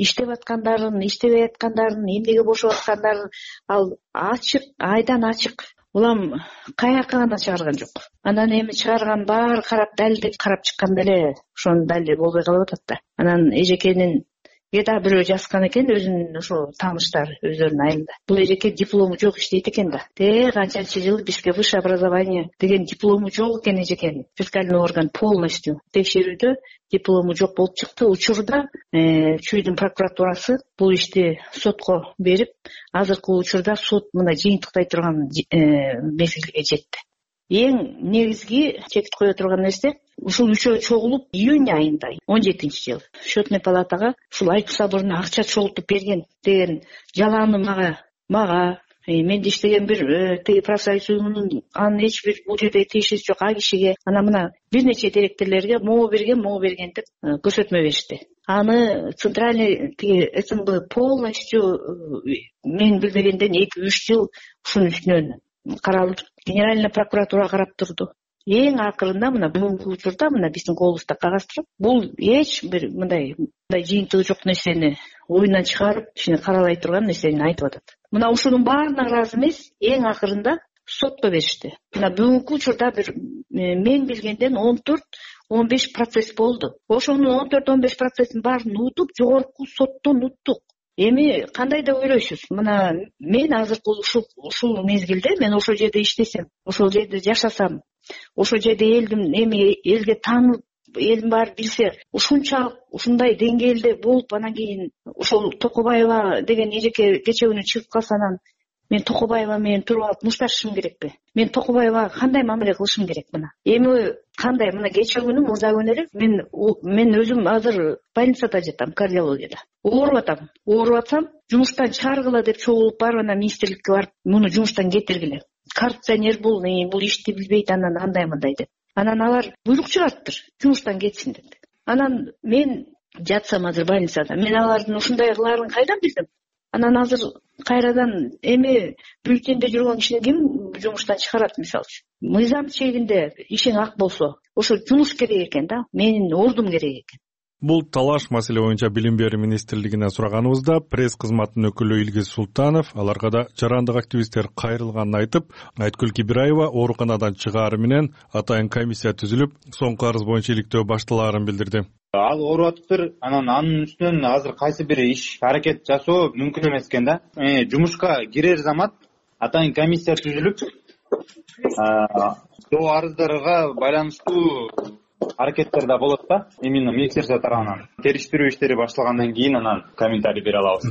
Иштеп аткандарын, иштебей аткандарын, эмнеге бошоп аткандарын ал ачык, айдан ачык. Улам каяка гана чыгарган жок. Анан эми чыгарган баары карап далилдеп карап чыкканда эле ошонун далили болбой калып атат да. Анан эжекенин Эда бирөө жазган экен, өзүнүн ошо тааныштары өздөрүнүн айылында. Бул эжеке диплому жок иштейт экен да. Канчанчы жыл бизге высшее образование деген диплому жок экен эжекенин. Фискальный орган полностью текшерүүдө диплому жок болуп чыкты. Учурда Чүйдүн прокуратурасы бул ишти сотко берип, азыркы учурда сот мына жыйынтыктай турган мезгилге жетти. Эң негизги чекит кое турган нерсе, ушул үчөө чогулуп июнь айында 17-жыл счетный палатага ушул Айткүл Сабыровна акча чогултуп берген деген жаланы мага менде иштеген бир тиги профсоюз уюмунун анын эч бир бул жерде тиешеси жок а кишиге анан мына бир нече директорлорго могу берген деп көрсөтмө беришти. Аны центральный тиги СМБ полностью мен билбегенден 2-3 жыл ушунун үстүнөн каралып, генеральный прокуратура карап турду. Эң акырында мына бүгүнкү учурда мына биздин колубузда кагаз турат. Бул эч бир мындай жыйынтыгы жок нерсени оюнан чыгарып, ишини каралай турган нерсени айтып атат. Мына ушунун баарына ыраазы эмес, эң акырында сотко беришти. Мына бүгүнкү учурда бир мен билгенден 14-15 процесс болду. Ошонун 14-15% баарын утуп, жогорку соттон уттук. Эми кандай деп ойлойсуз? Мына мен азыркы ушул мезгилде мен ошол жерде иштесем, ошол жерде жашасам, ошол жерде элге таанылып, элдин баары билсе, ушунчалык ушундай деңгээлде болуп, анан кийин ошол Токобаева деген эжеке кечээ күнү чыгып калса, анан мен Токобаева менен туруп алып мушташышым керекпи? Мен Токобаевага кандай мамиле кылышым керек? Мына эми кандай? Мына кечээ күнү мурда күнү элек мен өзүм азыр больницада жатам, кардиологияда. Ооруп атсам, жумуштан чыгаргыла деп чогулуп барып, анан министрликке барып, муну жумуштан кетиргиле. Коррупционер бул ишти билбейт, анан андай деп. Анан алар буйрук чыгарыптыр, жумуштан кетсин деп. Анан мен жатсам азыр больницада, мен алардын ушундай кылаарын кайдан билдим? Анан азыр кайрадан эми бюллетенде жүргөн кишини ким жумуштан чыгарат? Мисалы үчүн мыйзам чегинде ишиң ак болсо, ошо жумуш керек экен да, менин ордум керек экен. Бул талаш маселе боюнча Билим берүү министрлигине сураганыбызда пресс кызматынын өкүлү Илгиз Султанов аларга да жарандык активисттер кайрылганын айтып, Айткүл Кибираева ооруканадан чыгаары менен атайын комиссия түзүлүп, соңку арыз боюнча иликтөө башталаарын билдирди. Ал ооруп атыптыр, анын үстүнөн азыр кайсы бир иш аракет жасоо мүмкүн эмес экен да. Жумушка кирер замат атайын комиссия түзүлүп, доо арыздарга байланыштуу аракеттер да болот да. Именно министерство тарабынан териштирүү иштери башталгандан кийин анан комментарий бере алабыз.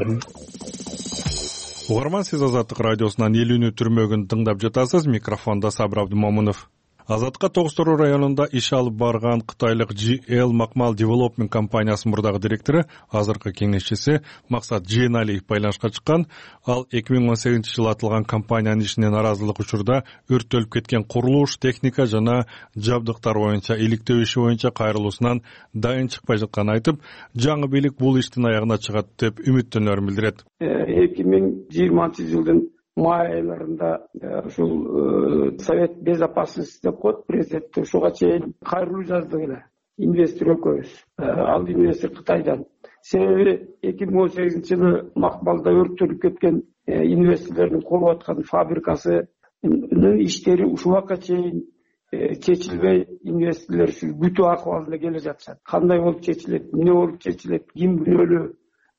Угарман, сиз Азаттык радиосунан Элүүнү түрмөгүн тыңдап жатасыз. Микрофондо Сабыр Абдымомунов. Азатка Тогуз-Тору районунда иш алып барган кытайлык GL Макмал Development компаниясынын мурдагы директору, азыркы кеңешчиси Максат Жээналиев байланышка чыккан. Ал 2018-жылы атылган компаниянын ишине наразылык учурда өрттөлүп кеткен курулуш, техника жана жабдыктар боюнча иликтөө иши боюнча кайрылуусунан дайын чыкпай жатканын айтып, жаңы бийлик бул иштин аягына чыгат деп үмүттөнөрүн билдирет. 2020-жылдын май айларында ушул Совет безопасности деп коет президент, ушуга чейин кайрылуу жаздык эле инвестор экөөбүз. Ал инвестор Кытайдан. Себеби 2018-жылы Макмалда өрттөлүп кеткен инвесторлордун куруп аткан фабрикасынын иштери ушул убакка чейин чечилбей, инвесторлор күтүү акыбалында келе жатышат. Кандай болуп чечилет, эмне болуп чечилет, ким күнөөлүү,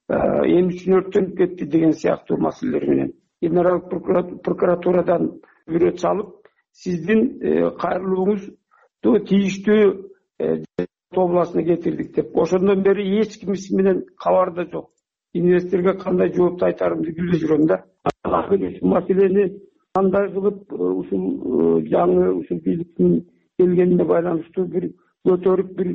эмне үчүн өрттөнүп кетти деген сыяктуу маселелер менен Генералдык прокуратурадан бирөө чалып, сиздин кайрылууңузду тийиштүү областына кетирдик деп. Ошондон бери эч ким менен кабарда жок. Инвесторго кандай жоопту айтарымды билбей жүрөм да. Маселени кандай кылып ушул жаңы ушул бийликтин келгенине байланыштуу бир көтөрүп бир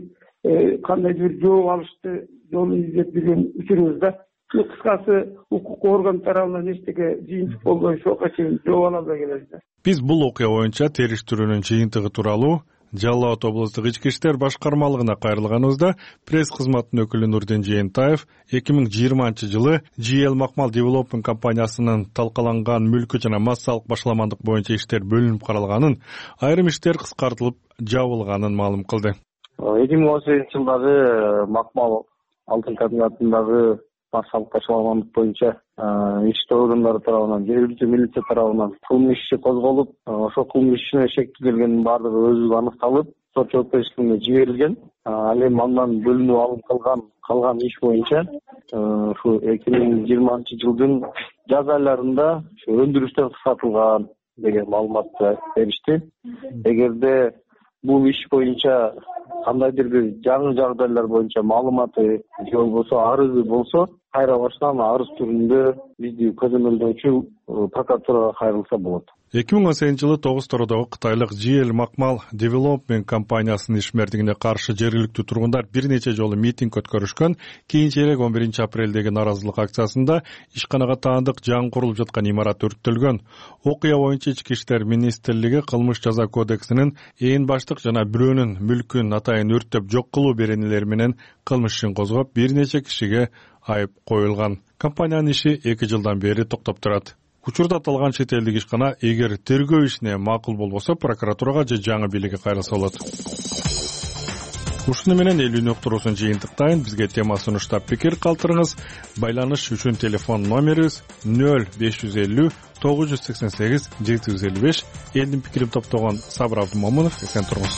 кандайдыр бир жооп алышты жолун издеп жүргөн учурубуз да. Кыскасы укук орган тарабынан эчтеке жыйынтык болбой ошого чейин жооп ала албай келебиз. Биз бул окуя боюнча териштирүүнүн жыйынтыгы тууралуу Жалал Абад облустук ички иштер башкармалыгына кайрылганыбызда пресс кызматынын өкүлү Нурдин Жээнтаев 2020-жылы GL Макмал Development компаниясынын талкаланган мүлкү жана массалык башаламандык боюнча иштер бөлүнүп каралганын, айрым иштер кыскартылып жабылганын маалым кылды. 2018-жылдагы Макмал алтын комбинатындагы массалык башаламандык боюнча иштөө органдары тарабынан, жергиликтүү милиция тарабынан кылмыш иши козголуп, ошол кылмыш ишине шектүү келгендин баардыгы өзү аныкталып, сот жоопкерчилигине жиберилген. Ал эми андан бөлүнүп алып калган иш боюнча ушу 2020-жылдын жаз айларында өндүрүштөр кыскартылган деген маалыматты беришти. Эгерде бул иш боюнча кандайдыр бир жаңы жагдайлар боюнча маалыматы же болбосо арызы болсо, кайра баштан арыз түрүндө бизди көзөмөлдөөчү прокуратурага кайрылса болот. 2018-жылы Тогуз-Торудагы кытайлык GL Макмал Development компаниясынын ишмердигине каршы жергиликтүү тургундар бир нече жолу митинг өткөрүшкөн. Кийинчерээк 11-апрелдеги наразылык акциясында ишканага таандык жаңы курулуп жаткан имарат өрттөлгөн. Окуя боюнча Ички иштер министрлиги кылмыш жаза кодексинин ээн баштык жана бирөөнүн мүлкүн атайын өрттөп жок кылуу беренелери менен кылмыш ишин козгоп, бир нече кишиге айып коюлган. Компаниянын иши 2 жылдан бери токтоп турат. Учурда аталган чет элдик ишкана эгер тергөө ишине макул болбосо прокуратурага же жаңы бийликке кайрылса болот. Ушуну менен Элүүнү уктуруусун жыйынтыктайын. Бизге тема сунуштап пикир калтырыңыз. Байланыш үчүн телефон номерибиз 0550 988 755. Элдин пикирин топтогон Сабыр Абдымомунов. Эсен туруңуз.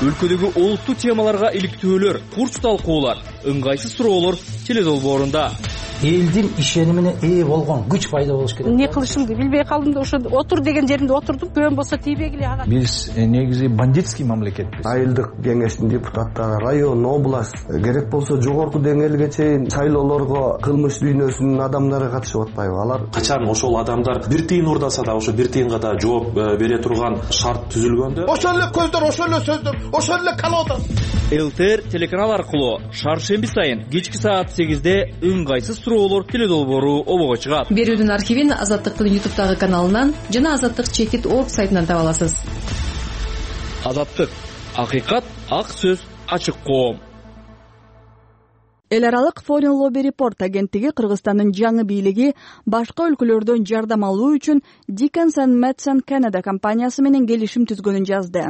өлкөдөгү олуттуу темаларга иликтөөлөр, курс талкуулар, ыңгайсыз суроолор теледолбоорунда. Элдин ишенимине ээ болгон күч пайда болуш керек. Не кылышымды билбей калдым да ошо отур деген жеримде отурдум. Күбөн болсо тийбегиле ага. Биз негизи бандитский мамлекетпиз. Айылдык кеңештин депутаттары, район, область, керек болсо жогорку деңгээлге чейин шайлоолорго кылмыш дүйнөсүнүн адамдары катышып атпайбы? Алар качан ошол адамдар бир тыйын уурдаса да ошо бир тыйынга да жооп бере турган шарт түзүлгөндө ошол эле көздөр, ошол эле сөздөр, ошол эле колода. ЛТР телеканал аркылуу шаршемби сайын кечки саат 8-де ыңгайсыз суроолор теледолбоору обого чыгат. Берүүдүн архивин Азаттыктын YouTube'дагы каналынан жана Азаттык чекит орг сайтынан таба аласыз. Азаттык, акыйкат, ак сөз, ачык коом. Эл аралык Foreign Lobby Report агенттиги Кыргызстандын жаңы бийлиги башка өлкөлөрдөн жардам алуу үчүн Dickens & Madson Canada компаниясы менен келишим түзгөнүн жазды.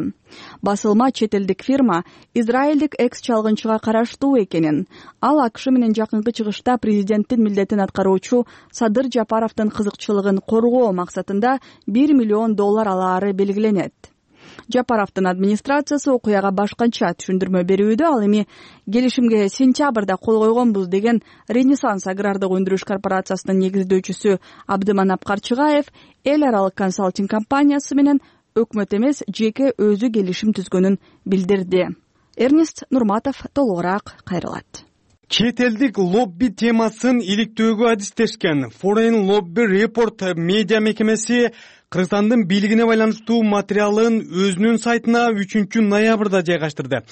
Басылма чет элдик фирма израилдик экс-чалгынчыга караштуу экенин, ал АКШ менен жакынкы чыгышта президенттин милдетин аткаруучу Садыр Жапаровдун кызыкчылыгын коргоо максатында $1 миллион алаары белгиленет. Жапаровдун администрациясы окуяга башкача түшүндүрмө берүүдө, ал эми келишимге сентябрда кол койгонбуз деген Ренессанс агрардык өндүрүш корпорациясынын негиздөөчүсү Абдыманап Карчыгаев эл аралык консалтинг компаниясы менен өкмөт эмес жеке өзү келишим түзгөнүн билдирди. Эрнест Нурматов толугураак кайрылат. Чет элдик лобби темасын иликтөөгө адистешкен Foreign Lobby Report медиа мекемеси Кыргызстандын бийлигине байланыштуу материалын өзүнүн сайтына 3-ноябрда жайгаштырды.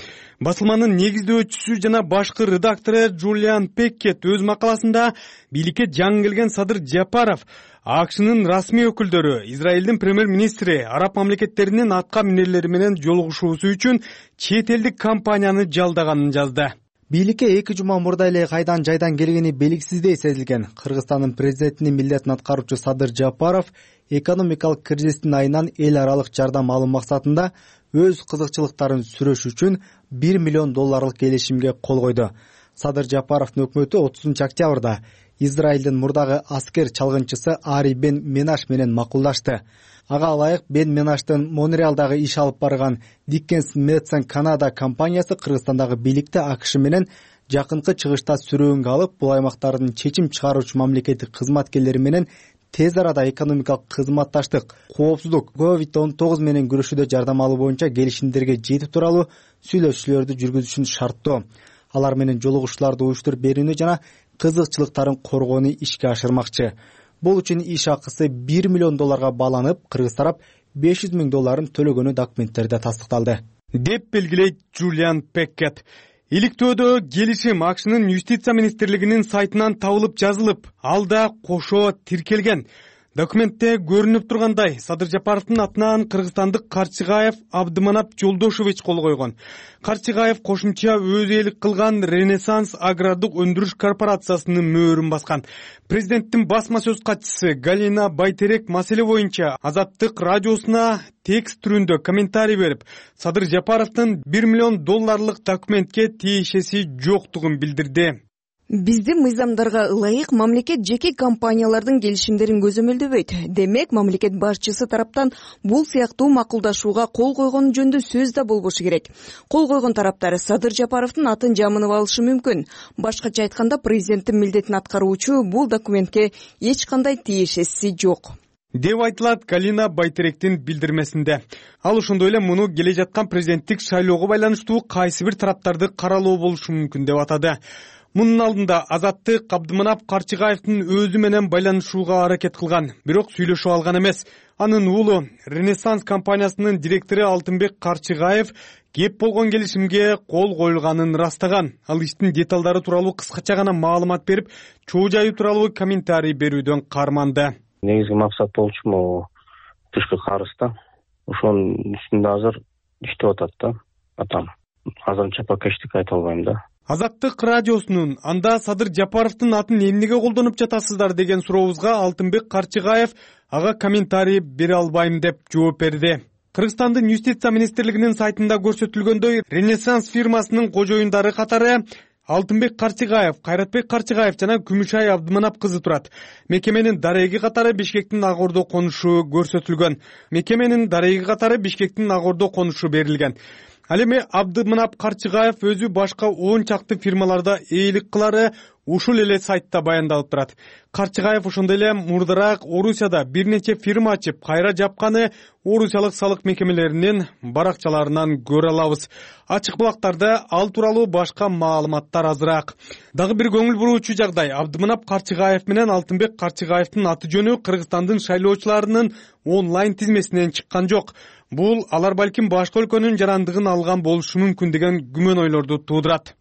Басылманын негиздөөчүсү жана башкы редактору Джулиан Пеккет өз макаласында бийликке жаңы келген Садыр Жапаров АКШнын расмий өкүлдөрү Израилдин премьер-министри араб мамлекеттеринин атка минерлери менен жолугушуусу үчүн чет элдик компанияны жалдаганын жазды. Бийликке 2 жума мурда эле кайдан жайдан келгени белгисиздей сезилген Кыргызстандын президентинин милдетин аткаруучу Садыр Жапаров экономикалык кризистин айынан эл аралык жардам алуу максатында өз кызыкчылыктарын сүрөш үчүн $1 миллион келишимге кол койду. Садыр Жапаровдун өкмөтү 30-октябрда Израилдин мурдагы аскер чалгынчысы Ари Бен Менаш менен макулдашты. Ага ылайык Бен Менаштын Монреалдагы иш алып барган Dickens & Madson Canada компаниясы Кыргызстандагы бийликти АКШ менен жакынкы чыгышта сүрөөнгө алып, бул аймактардын чечим чыгаруучу мамлекеттик кызматкерлери менен тез арада экономикалык кызматташтык, коопсуздук, COVID-19 менен күрөшүүдө жардам алуу боюнча келишимдерге жетүү тууралуу сүйлөшүүлөрдү жүргүзүшүн шарттоо. Алар менен жолугушууларды уюштуруп берүүнү жана кызыкчылыктарын коргоону ишке ашырмакчы. Бул үчүн иш акысы $1 миллион бааланып, кыргыз тарап $500 миң төлөгөнү документтерде тастыкталды, деп белгилейт Джулиан Пеккет. Иликтөөдө келишим АКШнын юстиция министрлигинин сайтынан табылып жазылып, ал да кошо тиркелген. Документте көрүнүп тургандай, Садыр Жапаровдун атынан кыргызстандык Карчыгаев Абдыманап Жолдошович кол койгон. Карчыгаев кошумча өз ээлик кылган Ренессанс агрардык өндүрүш корпорациясынын мөөрүн баскан. Президенттин басма сөз катчысы Галина Байтерек маселе боюнча Азаттык радиосуна текст түрүндө комментарий берип, Садыр Жапаровдун $1 миллион документке тиешеси жоктугун билдирди. Биздин мыйзамдарга ылайык мамлекет жеке компаниялардын келишимдерин көзөмөлдөбөйт. Демек, мамлекет башчысы тараптан бул сыяктуу макулдашууга кол койгон жөнүндө сөз да болбошу керек. Кол койгон тараптар Садыр Жапаровдун атын жамынып алышы мүмкүн. Башкача айтканда, президенттин милдетин аткаруучу бул документке эч кандай тиешеси жок, деп айтылат Галина Байтеректин билдирмесинде. Ал ошондой эле муну келе жаткан президенттик шайлоого байланыштуу кайсы бир тараптарды каралоо болушу мүмкүн деп атады. Мунун алдында Азаттык Абдыманап Карчыгаевдин өзү менен байланышууга аракет кылган, бирок сүйлөшүп алган эмес. Анын уулу Ренессанс компаниясынын директору Алтынбек Карчыгаев кеп болгон келишимге кол коюлганын растаган. Ал иштин деталдары тууралуу кыскача гана маалымат берип, чоо жайы тууралуу комментарий берүүдөн карманды. Негизги максат болчу могу тышкы карызда. Ошонун үстүндө азыр иштеп атат да атам. Азырынча пока эчтеке айта албайм да. Азаттык радиосунун анда Садыр Жапаровдун атын эмнеге колдонуп жатасыздар деген сурообузга Алтынбек Карчыгаев ага комментарий бере албайм деп жооп берди. Кыргызстандын юстиция министрлигинин сайтында көрсөтүлгөндөй, Ренессанс фирмасынын кожоюндары катары Алтынбек Карчыгаев, Кайратбек Карчыгаев жана Күмүшай Абдыманап кызы турат. Мекеменин дареги катары Бишкектин Ак Ордо конушу көрсөтүлгөн. Мекеменин дареги катары Бишкектин Ак Ордо конушу берилген. Ал эми Абдымынап Карчыгаев өзү башка 10 чакты фирмаларда ээлик кылары ушул эле сайтта баяндалып турат. Карчыгаев ошондой эле мурдараак Орусияда бир нече фирма ачып, кайра жапканы орусиялык салык мекемелеринин баракчаларынан көрө алабыз. Ачык булактарда ал тууралуу башка маалыматтар азыраак. Дагы бир көңүл буруучу жагдай, Абдымынап Карчыгаев менен Алтынбек Карчыгаевдин аты жөнү Кыргызстандын шайлоочуларынын онлайн тизмесинен чыккан жок. Бул алар балким башка өлкөнүн жарандыгын алган болушу мүмкүн деген күмөн ойлорду туудурат.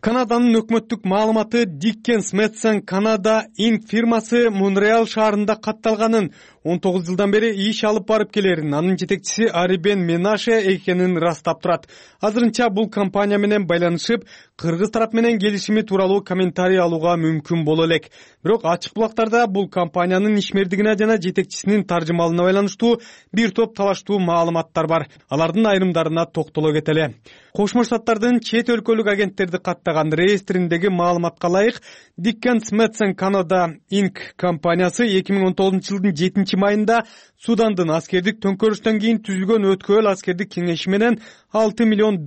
Канаданын өкмөттүк маалыматы Dickens Madson Canada Inc. фирмасы Монреал шаарында катталганын, 19 жылдан бери иш алып барып келерин, анын жетекчиси Ари Бен Менаше экенин растап турат. Азырынча бул компания менен байланышып, кыргыз тарап менен келишими тууралуу комментарий алууга мүмкүн боло элек. Бирок ачык булактарда бул компаниянын ишмердигине жана жетекчисинин таржымалына байланыштуу бир топ талаштуу маалыматтар бар. Алардын айрымдарына токтоло кетели. Кошмо Штаттардын чет өлкөлүк агенттерди каттаган реестриндеги маалыматка ылайык, Dickens Madson Canada Inc. компаниясы 2019 жылдын 7 майында Судандын аскердик төңкөрүштөн кийин түзүлгөн өткөл аскердик кеңеши менен $6 миллион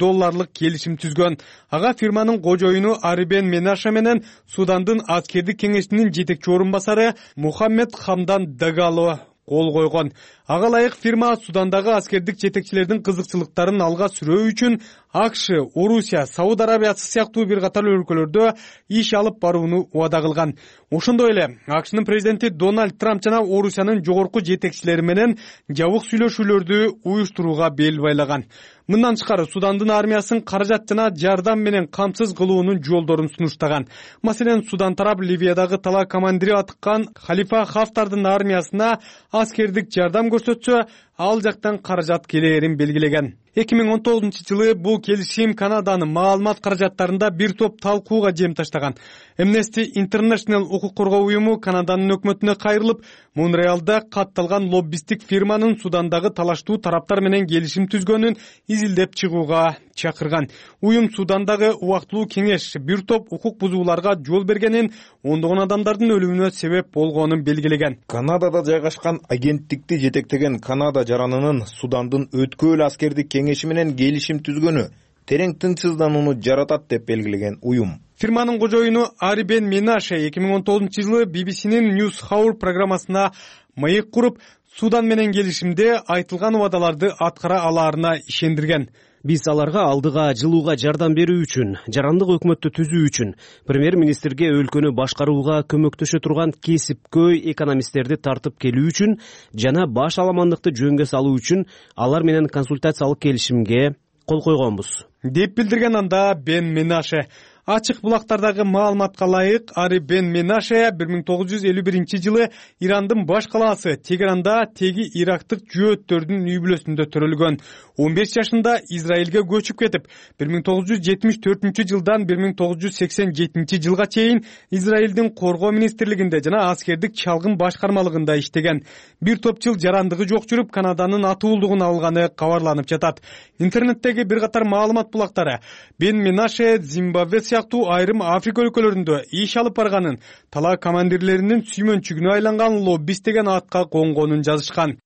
келишим түзгөн. Ага фирманын кожоюну Ари Бен Менаше менен Судандын аскердик кеңешинин жетекчи орун басары Мухаммед Хамдан Дагало кол койгон. Ага ылайык фирма Судандагы аскердик жетекчилердин кызыкчылыктарын алга сүрөө үчүн АКШ, Орусия, Сауд Арабиясы сыяктуу бир катар өлкөлөрдө иш алып барууну убада кылган. Ошондой эле АКШнын президенти Дональд Трамп жана Орусиянын жогорку жетекчилери менен жабык сүйлөшүүлөрдү уюштурууга бел байлаган. Мындан тышкары Судандын армиясын каражат жана жардам менен камсыз кылуунун жолдорун сунуштаган. Маселен, Судан тарап Ливиядагы тала командири атыккан Халифа Хафтардын армиясына аскердик жардам көрсөтсө, ал жактан каражат келээрин белгилеген. 2019 жылы бул келишим Канаданын маалымат каражаттарында бир топ талкууга жем таштаган. Amnesty International укук коргоо уюму Канаданын өкмөтүнө кайрылып, Монреалда катталган лоббисттик фирманын Судандагы талаштуу тараптар менен келишим түзгөнүн изилдеп чыгууга чакырган. Уюм Судандагы убактылуу кеңеш бир топ укук бузууларга жол бергенин, ондогон адамдардын өлүмүнө себеп болгонун белгилеген. Канадада жайгашкан агенттикти жетектеген Канада жаранынын Судандын өткөл аскердик кеңеши менен келишим түзгөнү терең тынчсызданууну жаратат деп белгилеген уюм. Фирманын кожоюну Ари Бен Менаше 2019 жылы BBC-нин News Hour программасына маек куруп, Судан менен келишимде айтылган убадаларды аткара алаарына ишендирген. Биз аларга алдыга жылууга жардам берүү үчүн, жарандык өкмөттү түзүү үчүн, премьер-министрге өлкөнү башкарууга көмөктөшө турган кесипкөй экономисттерди тартып келүү үчүн жана баш аламандыкты жөнгө салуу үчүн алар менен консультациялык келишимге кол койгонбуз, деп билдирген анда Бен Менаше. Ачык булактардагы маалыматка ылайык, Ари Бен Менаше 1951 жылы Ирандын баш калаасы Тегеранда теги ирактык жөөттөрдүн үй бүлөсүндө төрөлгөн. 15 жашында Израилге көчүп кетип, 1974 жылдан 1987 жылга чейин Израилдин коргоо министрлигинде жана аскердик чалгын башкармалыгында иштеген. Бир топ жыл жарандыгы жок жүрүп, Канаданын атуулдугун алганы кабарланып жатат. Интернеттеги бир катар маалымат булактары Бен Менаше Зимбабве сыяктуу айрым Африка өлкөлөрүндө иш алып барганын, тала командирлеринин сүймөнчүгүнө айланган лоббист деген атка конгонун жазышкан.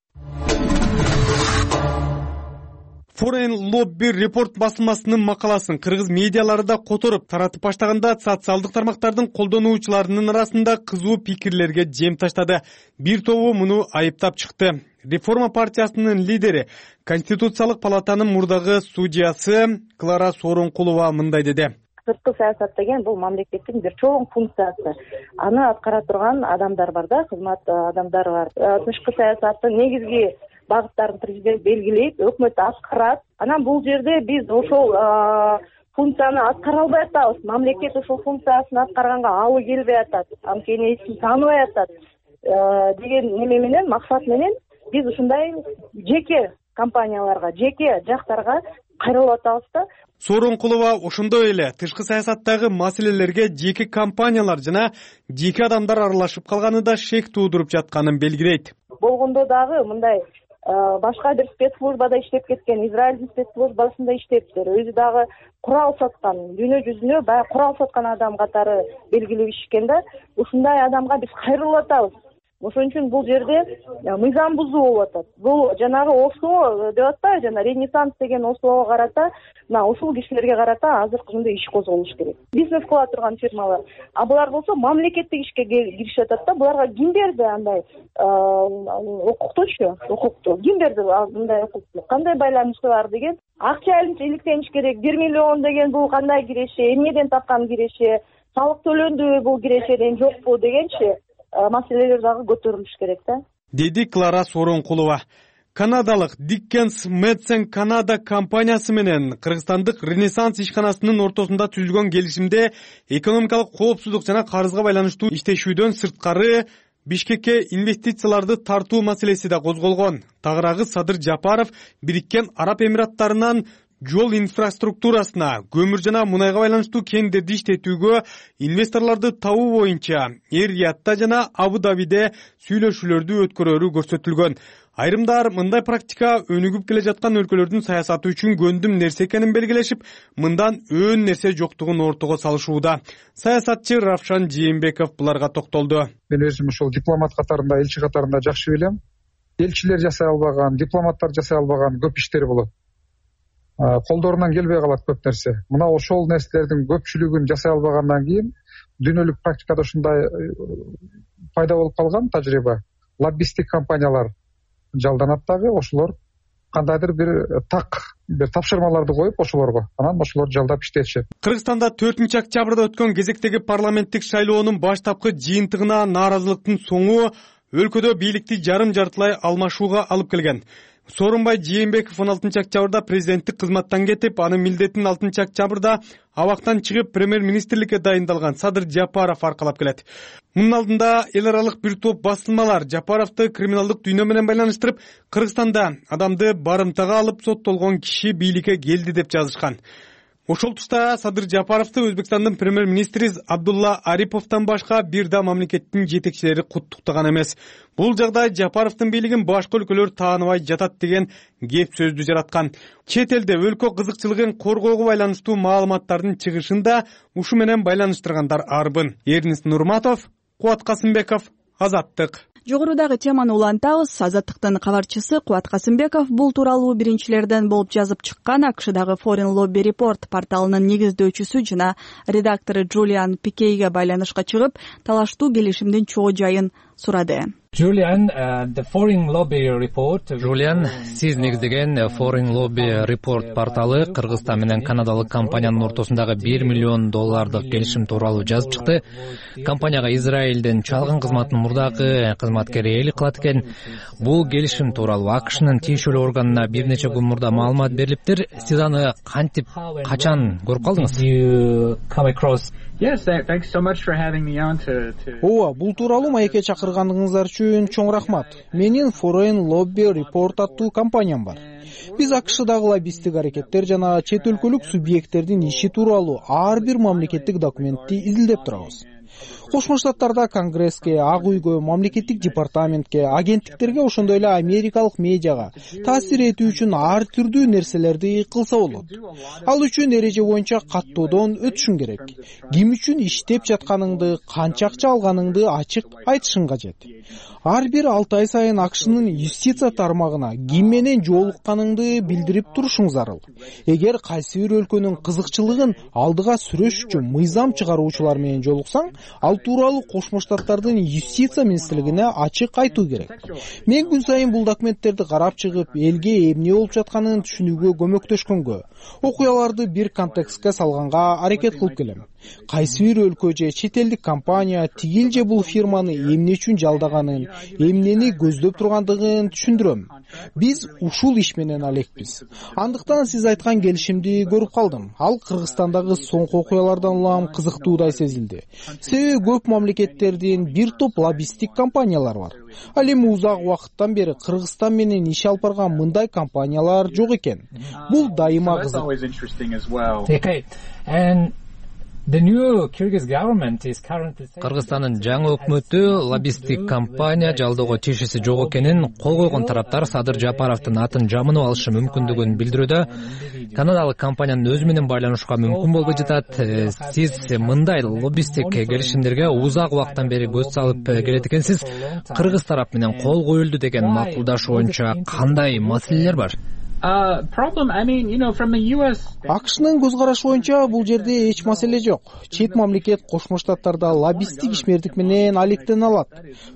Foreign Lobby Report басылмасынын макаласын кыргыз медиалары да которуп таратып баштаганда, социалдык тармактардын колдонуучуларынын арасында кызуу пикирлерге жем таштады. Бир тобу муну айыптап чыкты. Реформа партиясынын лидери, Конституциялык палатанын мурдагы судьясы Клара Сооронкулова мындай деди. Сырткы саясат деген бул мамлекеттин бир чоң функциясы. Аны аткара турган адамдар бар да, кызмат адамдары бар. Тышкы саясаттын негизги багыттарын президент белгилейт, өкмөт аткарат. Анан бул жерде биз ошол функцияны аткара албай атабыз. Мамлекет ошол функциясын аткарганга алы келбей атат, анткени эсин тааныбай атат деген неме менен, максат менен биз ушундай жеке компанияларга, жеке жактарга кайрылып атабыз да. Сооронкулова ошондой эле тышкы саясаттагы маселелерге жеке компаниялар жана жеке адамдар аралашып калганы да шек туудуруп жатканын белгилейт. Болгондо дагы мындай башка бир спецслужбада иштеп кеткен, Израилдин спецслужбасында иштептир. Өзү дагы курал саткан, дүйнө жүзүнө баягы курал саткан адам катары белгилеп ишкен да. Ушундай адамга биз кайрылып атабыз. Ошон үчүн бул жерде мыйзам бузуу болуп атат. Бул жанагы ОСО деп атпайбы, жана Ренессанс деген ОСОго карата, мына ушул кишилерге карата азыркы күндө иш козголуш керек. Бизнес кыла турган фирмалар. А булар болсо мамлекеттик ишке киришип атат да. Буларга ким берди андай укуктучу? Укукту ким берди мындай укукту? Кандай байланышы бар деген акча иликтениш керек. 1 миллион деген бул кандай киреше? Эмнеден тапкан киреше? Салык төлөндүбү бул кирешеден жокпу дегенчи маселелер дагы көтөрүлүш керек да, деди Клара Сооронкулова. Канадалык Dickens Madsen Canada компаниясы менен кыргызстандык Ренессанс ишканасынын ортосунда түзүлгөн келишимде экономикалык коопсуздук жана карызга байланыштуу иштешүүдөн сырткары Бишкекке инвестицияларды тартуу маселеси да козголгон. Тагыраагы Садыр Жапаров Бириккен Араб Эмираттарынан жол инфраструктурасына, көмүр жана мунайга байланыштуу кендерди иштетүүгө инвесторлорду табуу боюнча Эр-Риядда жана Абу-Дабиде сүйлөшүүлөрдү өткөрөрү көрсөтүлгөн. Айрымдар мындай практика өнүгүп келе жаткан өлкөлөрдүн саясаты үчүн көндүм нерсе экенин белгилешип, мындан өөн нерсе жоктугун ортого салышууда. Саясатчы Равшан Жээнбеков буларга токтолду. Мен өзүм ушул дипломат катарында, элчи катарында жакшы билем. Элчилер жасай албаган, дипломаттар жасай албаган көп иштер болот. Колдорунан келбей калат көп нерсе. Мына ошол нерселердин көпчүлүгүн жасай албагандан кийин дүйнөлүк практикада ушундай пайда болуп калган тажрыйба. Лоббисттик компаниялар жалданат дагы, ошолор кандайдыр бир тапшырмаларды коюп ошолорго, анан ошолор жалдап иштетишет. Кыргызстанда 4-октябрда өткөн кезектеги парламенттик шайлоонун баштапкы жыйынтыгына нааразылыктын соңу өлкөдө бийликти жарым-жартылай алмашууга алып келген. Сооронбай Жээнбеков 16-октябрда президенттик кызматтан кетип, анын милдетин 6-октябрда абактан чыгып премьер-министрликке дайындалган Садыр Жапаров аркалап келет. Мунун алдында эл аралык бир топ басылмалар Жапаровду криминалдык дүйнө менен байланыштырып, Кыргызстанда адамды барымтага алып соттолгон киши бийликке келди деп жазышкан. Ошол тушта Садыр Жапаровду Өзбекстандын премьер-министри Абдулла Ариповдон башка бир да мамлекеттин жетекчилери куттуктаган эмес. Бул жагдай Жапаровдун бийлигин башка өлкөлөр тааныбай жатат деген кеп сөздү жараткан. Чет элде өлкө кызыкчылыгын коргоого байланыштуу маалыматтардын чыгышын да ушу менен байланыштыргандар арбын. Эрнис Нурматов, Кубат Касымбеков, Азаттык. Жогорудагы теманы улантабыз. Азаттыктын кабарчысы Кубат Касымбеков бул тууралуу биринчилерден болуп жазып чыккан АКШдагы Foreign Lobby Report порталынын негиздөөчүсү жана редактору Джулиан Пикейге байланышка чыгып, талаштуу келишимдин чоо жайын сурады. Джулиан, сиз негиздеген Foreign Lobby Report порталы Кыргызстан менен канадалык компаниянын ортосундагы $1 миллион келишим тууралуу жазып чыкты. Компанияга Израилден чалгын кызматтын мурдагы кызматкери ээлик кылат экен. Бул келишим тууралуу АКШнын тиешелүү органына бир нече күн мурда маалымат берилиптир. Сиз аны кантип, качан көрүп калдыңыз? Ооба, бул тууралуу маекке чакыргандыгыңыздар үчүн чоң рахмат. Менин Foreign Lobby Report аттуу компаниям бар. Биз АКШдагы лоббисттик аракеттер жана чет өлкөлүк субъекттердин иши тууралуу ар бир мамлекеттик документти изилдеп турабыз. Кошмо Штаттарда Конгресске, Ак үйгө, мамлекеттик департаментке, агенттиктерге, ошондой эле америкалык медиага таасир этүү үчүн ар түрдүү нерселерди кылса болот. Ал үчүн эреже боюнча каттоодон өтүшүң керек. Ким үчүн иштеп жатканыңды, канча акча алганыңды ачык айтышың кажет. Ар бир 6 ай сайын АКШнын юстиция тармагына ким менен жолукканыңды билдирип турушуң зарыл. Эгер кайсы бир өлкөнүн кызыкчылыгын алдыга сүрөш үчүн мыйзам чыгаруучулар менен жолуксаң, ал тууралуу Кошмо Штаттардын юстиция министрлигине ачык айтуу керек. Мен күн сайын бул документтерди карап чыгып, элге эмне болуп жатканын түшүнүүгө көмөктөшкөнгө, окуяларды бир контекстке салганга аракет кылып келем. Кайсы бир өлкө же чет элдик компания тигил же бул фирманы эмне үчүн жалдаганын, эмнени көздөп тургандыгын түшүндүрөм. Биз ушул иш менен алекпиз. Андыктан сиз айткан келишимди көрүп калдым. Ал Кыргызстандагы соңку окуялардан улам кызыктуудай сезилди. Себеби көп мамлекеттердин бир топ лоббисттик компаниялар бар. Ал эми узак убакыттан бери Кыргызстан менен иш алып барган мындай компаниялар жок экен. Бул дайыма кызык. Кыргызстандын жаңы өкмөтү лоббисттик компания жалдоого тиешеси жок экенин кол койгон тараптар Садыр Жапаровдун атын жамынып алышы мүмкүндүгүн билдирүүдө. Канадалык компаниянын өзү менен байланышууга мүмкүн болбой жатат. Сиз мындай лоббисттик келишимдерге узак убакыттан бери көз салып келет экенсиз. Кыргыз тарап менен кол коюлду деген макулдашуу боюнча кандай маселелер бар? АКШнын көз карашы боюнча бул жерде эч маселе жок. Чет мамлекет Кошмо Штаттарда лоббисттик ишмердик менен алектене алат.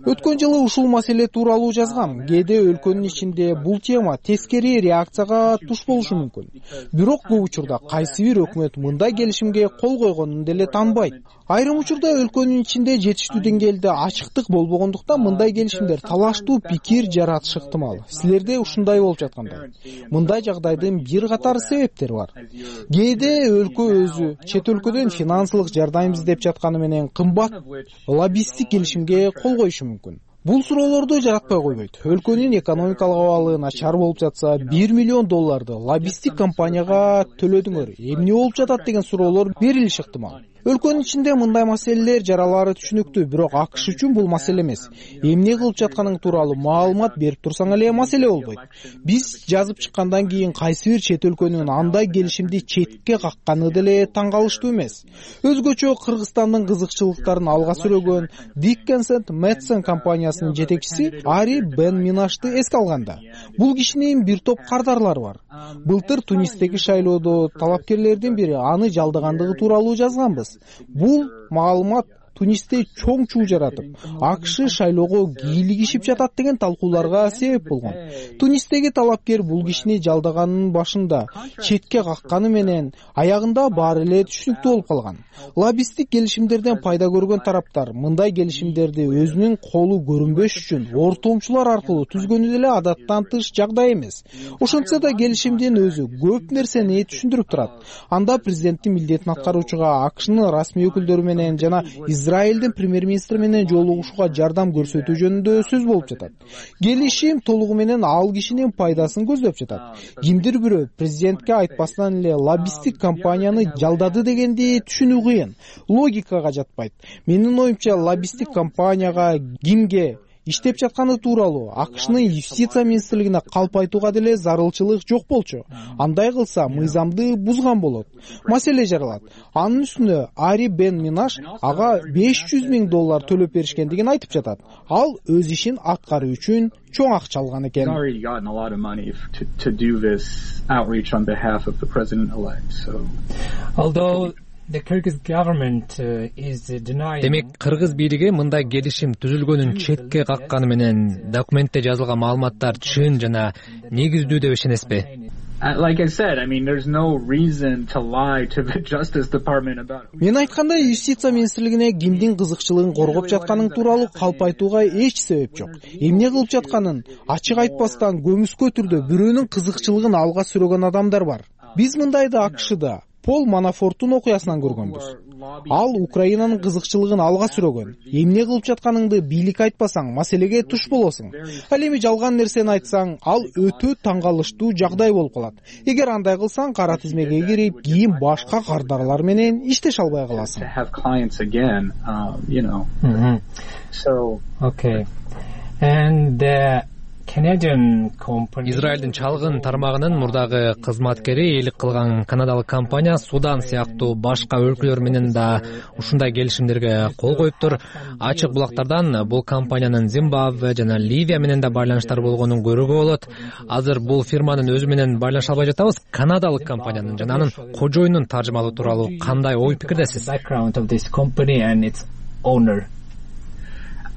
Өткөн жылы ушул маселе тууралуу жазгам. Кээде өлкөнүн ичинде бул тема тескери реакцияга туш болушу мүмкүн. Бирок бул учурда кайсы бир өкмөт мындай келишимге кол койгонун деле тааныбайт. Айрым учурда өлкөнүн ичинде жетиштүү деңгээлде ачыктык болбогондуктан мындай келишимдер талаштуу пикир жаратышы ыктымал. Силерде ушундай болуп жаткандай. Мындай жагдайдын бир катар себептери бар. Кээде өлкө өзү чет өлкөдөн финансылык жардам издеп жатканы менен кымбат лоббисттик келишимге кол коюшу мүмкүн. Бул суроолорду жаратпай койбойт. Өлкөнүн экономикалык абалы начар болуп жатса, $1 миллион лоббисттик компанияга төлөдүңөр. Эмне болуп жатат деген суроолор берилиши ыктымал. Өлкөнүн ичинде мындай маселелер жаралары түшүнүктүү, бирок АКШ үчүн бул маселе эмес. Эмне кылып жатканың тууралуу маалымат берип турсаң эле маселе болбойт. Биз жазып чыккандан кийин кайсы бир чет өлкөнүн андай келишимди четке какканы деле таң калыштуу эмес. Өзгөчө Кыргызстандын кызыкчылыктарын алга сүрөгөн Dickinson Madsen компаниясынын жетекчиси Ари Бен Минашты эске алганда, бул кишинин бир топ кардарлары бар. Былтыр Тунистеги шайлоодо талапкерлердин бири аны жалдагандыгы тууралуу жазганбыз. Бул маалымат Тунисте чоң чуу жаратып, АКШ шайлоого кийлигишип жатат деген талкууларга себеп болгон. Тунистеги талапкер бул кишини жалдаганын башында четке какканы менен аягында баары эле түшүнүктүү болуп калган. Лоббисттик келишимдерден пайда көргөн тараптар мындай келишимдерди өзүнүн колу көрүнбөш үчүн ортомчулар аркылуу түзгөнү деле адаттан тыш жагдай эмес. Ошентсе да келишимдин өзү көп нерсени түшүндүрүп турат. Анда президенттин милдетин аткаруучуга АКШнын расмий өкүлдөрү менен жана Израилдин премьер-министри менен жолугушууга жардам көрсөтүү жөнүндө сөз болуп жатат. Келишим толугу менен ал кишинин пайдасын көздөп жатат. Кимдир бирөө президентке айтпастан эле лоббисттик компанияны жалдады дегенди түшүнүү кыйын. Логикага жатпайт. Менин оюмча, лоббисттик компанияга кимге иштеп жатканы тууралуу АКШнын юстиция министрлигине калп айтууга деле зарылчылык жок болчу. Андай кылса мыйзамды бузган болот. Маселе жаралат. Анын үстүнө Ари Бен Минаш ага $500 миң төлөп беришкендигин айтып жатат. Ал өз ишин аткаруу үчүн чоң акча алган экен. Демек, кыргыз бийлиги мындай келишим түзүлгөнүн четке какканы менен документте жазылган маалыматтар чын жана негиздүү деп ишенесизби? Мен айткандай, юстиция министрлигине кимдин кызыкчылыгын коргоп жатканын тууралуу калп айтууга эч себеп жок. Эмне кылып жатканын ачык айтпастан көмүскө түрдө бирөөнүн кызыкчылыгын алга сүрөгөн адамдар бар. Биз мындайды АКШда Пол Манафорттун окуясынан көргөнбүз. Ал Украинанын кызыкчылыгын алга сүрөгөн. Эмне кылып жатканыңды бийлик айтпасаң, маселеге туш болосуң. Ал эми жалган нерсени айтсаң, ал өтө таң калыштуу жагдай болуп калат. Эгер андай кылсаң, кара тизмеге кирип, кийин башка кардарлар менен иштеше албай каласың. Израилдин чалгын тармагынын мурдагы кызматкери элик кылган канадалык компания Судан сыяктуу башка өлкөлөр менен да ушундай келишимдерге кол коюптур. Ачык булактардан бул компаниянын Зимбабве жана Ливия менен да байланыштары болгонун көрүүгө болот. Азыр бул фирманын өзү менен байланыша албай жатабыз. Канадалык компаниянын жана анын кожоюнун таржымалоо тууралуу кандай ой пикирдесиз?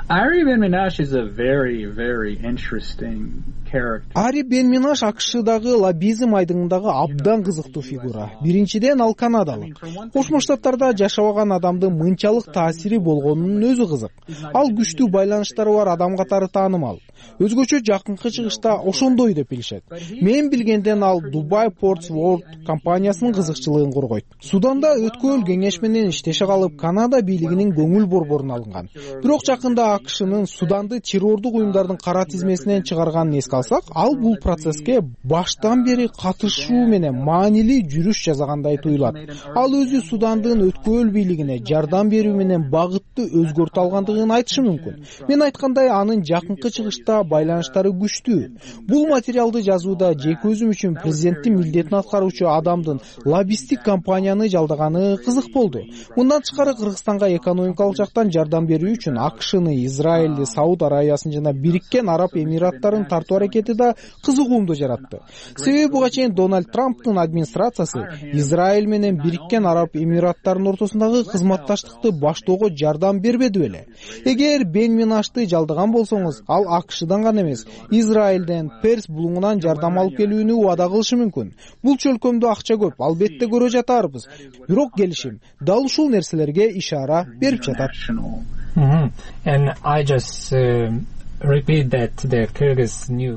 Ари Бен Минаш is a very interesting character. Ари Бен Минаш АКШдагы лоббизм айдыңындагы абдан кызыктуу фигура. Биринчиден, ал канадалык. Кошмо Штаттарда жашабаган адамдын мынчалык таасири болгонунун өзү кызык. Ал күчтүү байланыштары бар адам катары таанымал. Өзгөчө жакынкы чыгышта ошондой деп билишет. Мен билгенден ал Dubai Ports World компаниясынын кызыкчылыгын коргойт. Суданда өткөл кеңеш менен иштеше калып, Канада бийлигинин көңүл борборуна алынган. Бирок жакында АКШнын Суданды террордук уюмдардын кара тизмесинен чыгарганын эске алсак, ал бул процесске баштан бери катышуу менен маанилүү жүрүш жасагандай туюлат. Ал өзү Судандын өткөл бийлигине жардам берүү менен багытты өзгөртө алгандыгын айтышы мүмкүн. Мен айткандай, анын жакынкы чыгышта байланыштары күчтүү. Бул материалды жазууда жеке өзүм үчүн президенттин милдетин аткаруучу адамдын лоббисттик компанияны жалдаганы кызык болду. Мындан тышкары Кыргызстанга экономикалык жактан жардам берүү үчүн АКШны, Израилди, Сауд Арабиясын жана Бириккен Араб Эмираттарын тартуу аракети да кызыгуумду жаратты. Себеби буга чейин Дональд Трамптын администрациясы Израиль менен Бириккен Араб Эмираттарынын ортосундагы кызматташтыкты баштоого жардам бербеди беле. Эгер Бенминашты жалдаган болсоңуз, ал АКШдан гана эмес, Израилден, Перс булуңунан жардам алып келүүнү убада кылышы мүмкүн. Бул чөлкөмдө акча көп, албетте көрө жатарбыз. Бирок келишим дал ушул нерселерге ишара берип жатат.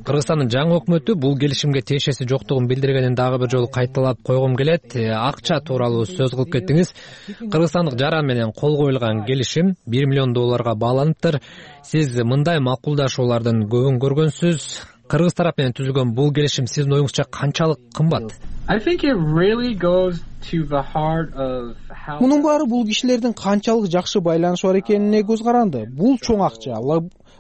Кыргызстандын жаңы өкмөтү бул келишимге тиешеси жоктугун билдиргенин дагы бир жолу кайталап койгум келет. Акча тууралуу сөз кылып кеттиңиз. Кыргызстандык жаран менен кол коюлган келишим $1 миллион баланыптыр. Сиз мындай макулдашуулардын көбүн көргөнсүз. Кыргыз тарап менен түзүлгөн бул келишим сиздин оюңузча канчалык кымбат? Мунун баары бул кишилердин канчалык жакшы байланышы бар экенине көз каранды. Бул чоң акча.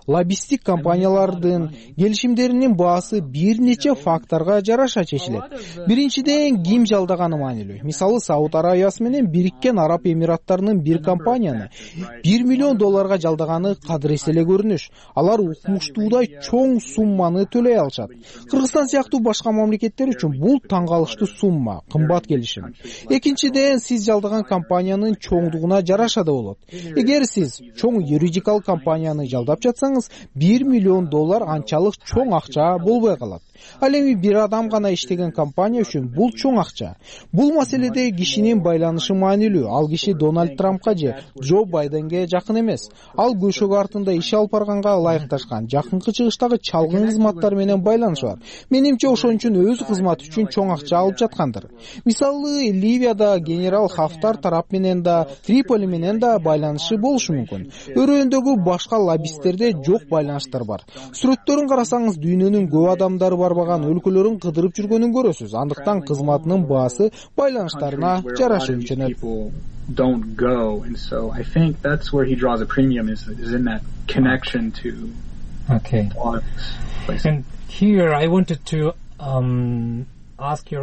Лоббисттик компаниялардын келишимдеринин баасы бир нече факторго жараша чечилет. Биринчиден, ким жалдаганы маанилүү. Мисалы, Сауд Арабиясы менен Бириккен Араб Эмираттарынын бир компанияны $1 миллион жалдаганы кадырес эле көрүнүш. Алар укмуштуудай чоң сумманы төлөй алышат. Кыргызстан сыяктуу башка мамлекеттер үчүн бул таң калыштуу сумма, кымбат келишим. Экинчиден, сиз жалдаган компаниянын чоңдугуна жараша да болот. Эгер сиз чоң юридикалык компанияны жалдап жатсаңыз, $1 миллион анчалык чоң акча болбой калат. Ал эми бир адам гана иштеген компания үчүн бул чоң акча. Бул маселеде кишинин байланышы маанилүү. Ал киши Дональд Трампка же Джо Байденге жакын эмес. Ал көшөгө артында иш алып барганга ылайыкташкан, жакынкы чыгыштагы чалгын кызматтар менен байланышы бар. Менимче ошон үчүн өз кызматы үчүн чоң акча алып жаткандыр. Мисалы, Ливияда генерал Хафтар тарап менен да, Триполи менен да байланышы болушу мүмкүн. Өрөөндөгү башка лоббисттерде жок байланыштар бар. Сүрөттөрүн карасаңыз, дүйнөнүн көп адамдары барбаган өлкөлөрүн кыдырып жүргөнүн көрөсүз. Андыктан кызматынын баасы байланыштарына жараша өлчөнөт.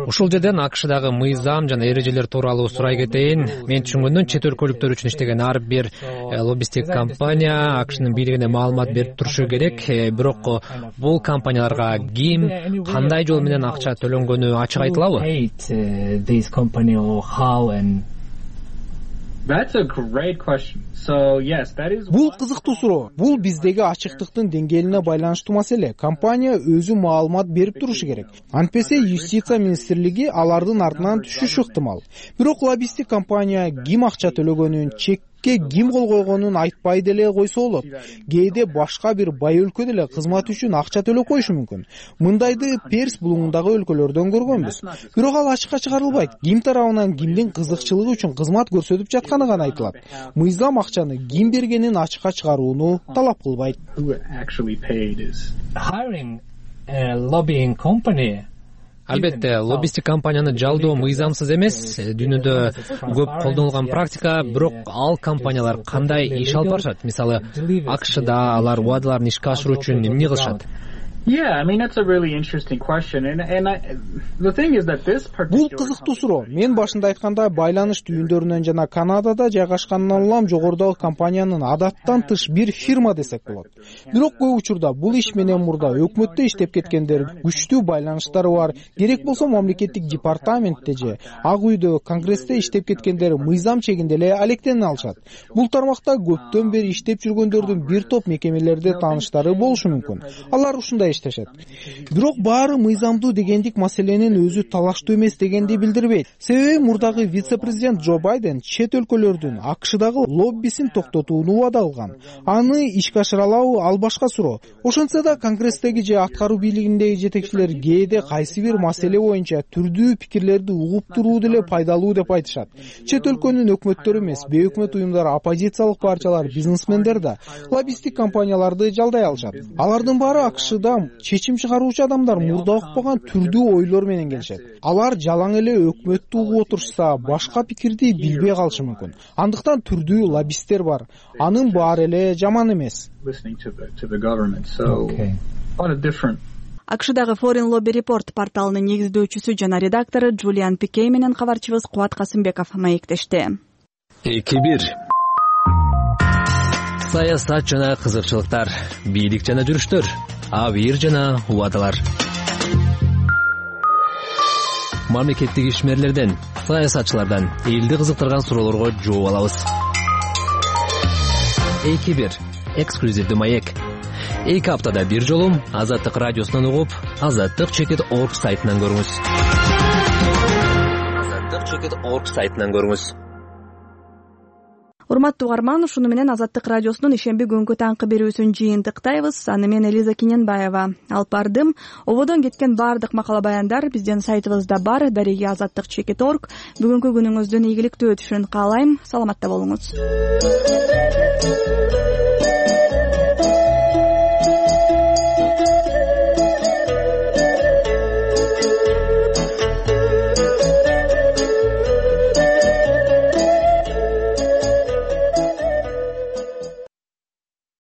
Ушул жерден АКШдагы мыйзам жана эрежелер тууралуу сурай кетейин. Мен түшүнгөндөн чет өлкөлүктөр үчүн иштеген ар бир лоббисттик компания АКШнын бийлигине маалымат берип турушу керек. Бирок бул компанияларга ким, кандай жол менен акча төлөнгөнү ачык айтылабы? Бул кызыктуу суроо. Бул биздеги ачыктыктын деңгээлине байланыштуу маселе. Компания өзү маалымат берип турушу керек. Антпесе юстиция министрлиги алардын артынан түшүшү ыктымал. Бирок лоббисттик компания ким акча төлөгөнүн, чекке ким кол койгонун айтпай деле койсо болот. Кээде башка бир бай өлкө деле кызмат үчүн акча төлөп коюшу мүмкүн. Мындайды Перс булуңундагы өлкөлөрдөн көргөнбүз. Бирок ал ачыкка чыгарылбайт. Ким тарабынан кимдин кызыкчылыгы үчүн кызмат көрсөтүп жатканы гана айтылат. Мыйзам акчаны ким бергенин ачыкка чыгарууну талап кылбайт. Албетте, лоббисттик компанияны жалдоо мыйзамсыз эмес. Дүйнөдө көп колдонулган практика, бирок ал компаниялар кандай иш алып барышат? Мисалы, АКШда алар убадаларын ишке ашыруу үчүн эмне кылышат? Бул кызыктуу суроо. Мен башында айткандай, байланыш түйүндөрүнөн жана Канадада жайгашканынан улам жогорудагы компаниянын адаттан тыш бир фирма десек болот. Бирок көп учурда бул иш менен мурда өкмөттө иштеп кеткендер, күчтүү байланыштары бар, керек болсо мамлекеттик департаментте же Ак үйдө, Конгрессте иштеп кеткендер мыйзам чегинде эле алектене алышат. Бул тармакта көптөн бери иштеп жүргөндөрдүн бир топ мекемелерде тааныштары болушу мүмкүн. Алар ушундай иштешет. Бирок баары мыйзамдуу дегендик маселенин өзү талаштуу эмес дегенди билдирбейт. Себеби мурдагы вице-президент Джо Байден чет өлкөлөрдүн АКШдагы лоббисин токтотууну убада алган. Аны ишке ашыра алабы, ал башка суроо. Ошентсе да Конгресстеги же аткаруу бийлигиндеги жетекчилер кээде кайсы бир маселе боюнча түрдүү пикирлерди угуп туруу деле пайдалуу деп айтышат. Чет өлкөнүн өкмөттөрү эмес, бейөкмөт уюмдар, оппозициялык партиялар, бизнесмендер да лоббисттик компанияларды жалдай алышат. Алардын баары АКШда чечим чыгаруучу адамдар мурда укпаган түрдүү ойлор менен келишет. Алар жалаң эле өкмөттү угуп отурушса, башка пикирди билбей калышы мүмкүн. Андыктан түрдүү лоббисттер бар. Анын баары эле жаман эмес. АКШдагы Foreign Lobby Report порталынын негиздөөчүсү жана редактору Джулиан Пикей менен кабарчыбыз Кубат Касымбеков маектешти. 2-1 саясат жана кызыкчылыктар, бийлик жана жүрүштөр, абийир жана убадалар. Мамлекеттик ишмерлерден, саясатчылардан элди кызыктырган суроолорго жооп алабыз. 2-1 эксклюзивдүү маек. 2 аптада бир жолу Азаттык радиосунан угуп, azattik.org сайтынан көрүңүз. azattik.org сайтынан көрүңүз. Урматтуу угарман, ушуну менен Азаттык радиосунун ишемби күнгү таңкы берүүсүн жыйынтыктайбыз. Аны мен Элиза Киненбаева алып бардым. Ободон кеткен баардык макала баяндар биздин сайтыбызда бар, дареги azattik.org. Бүгүнкү күнүңүздүн ийгиликтүү өтүшүн каалайм. Саламатта болуңуз.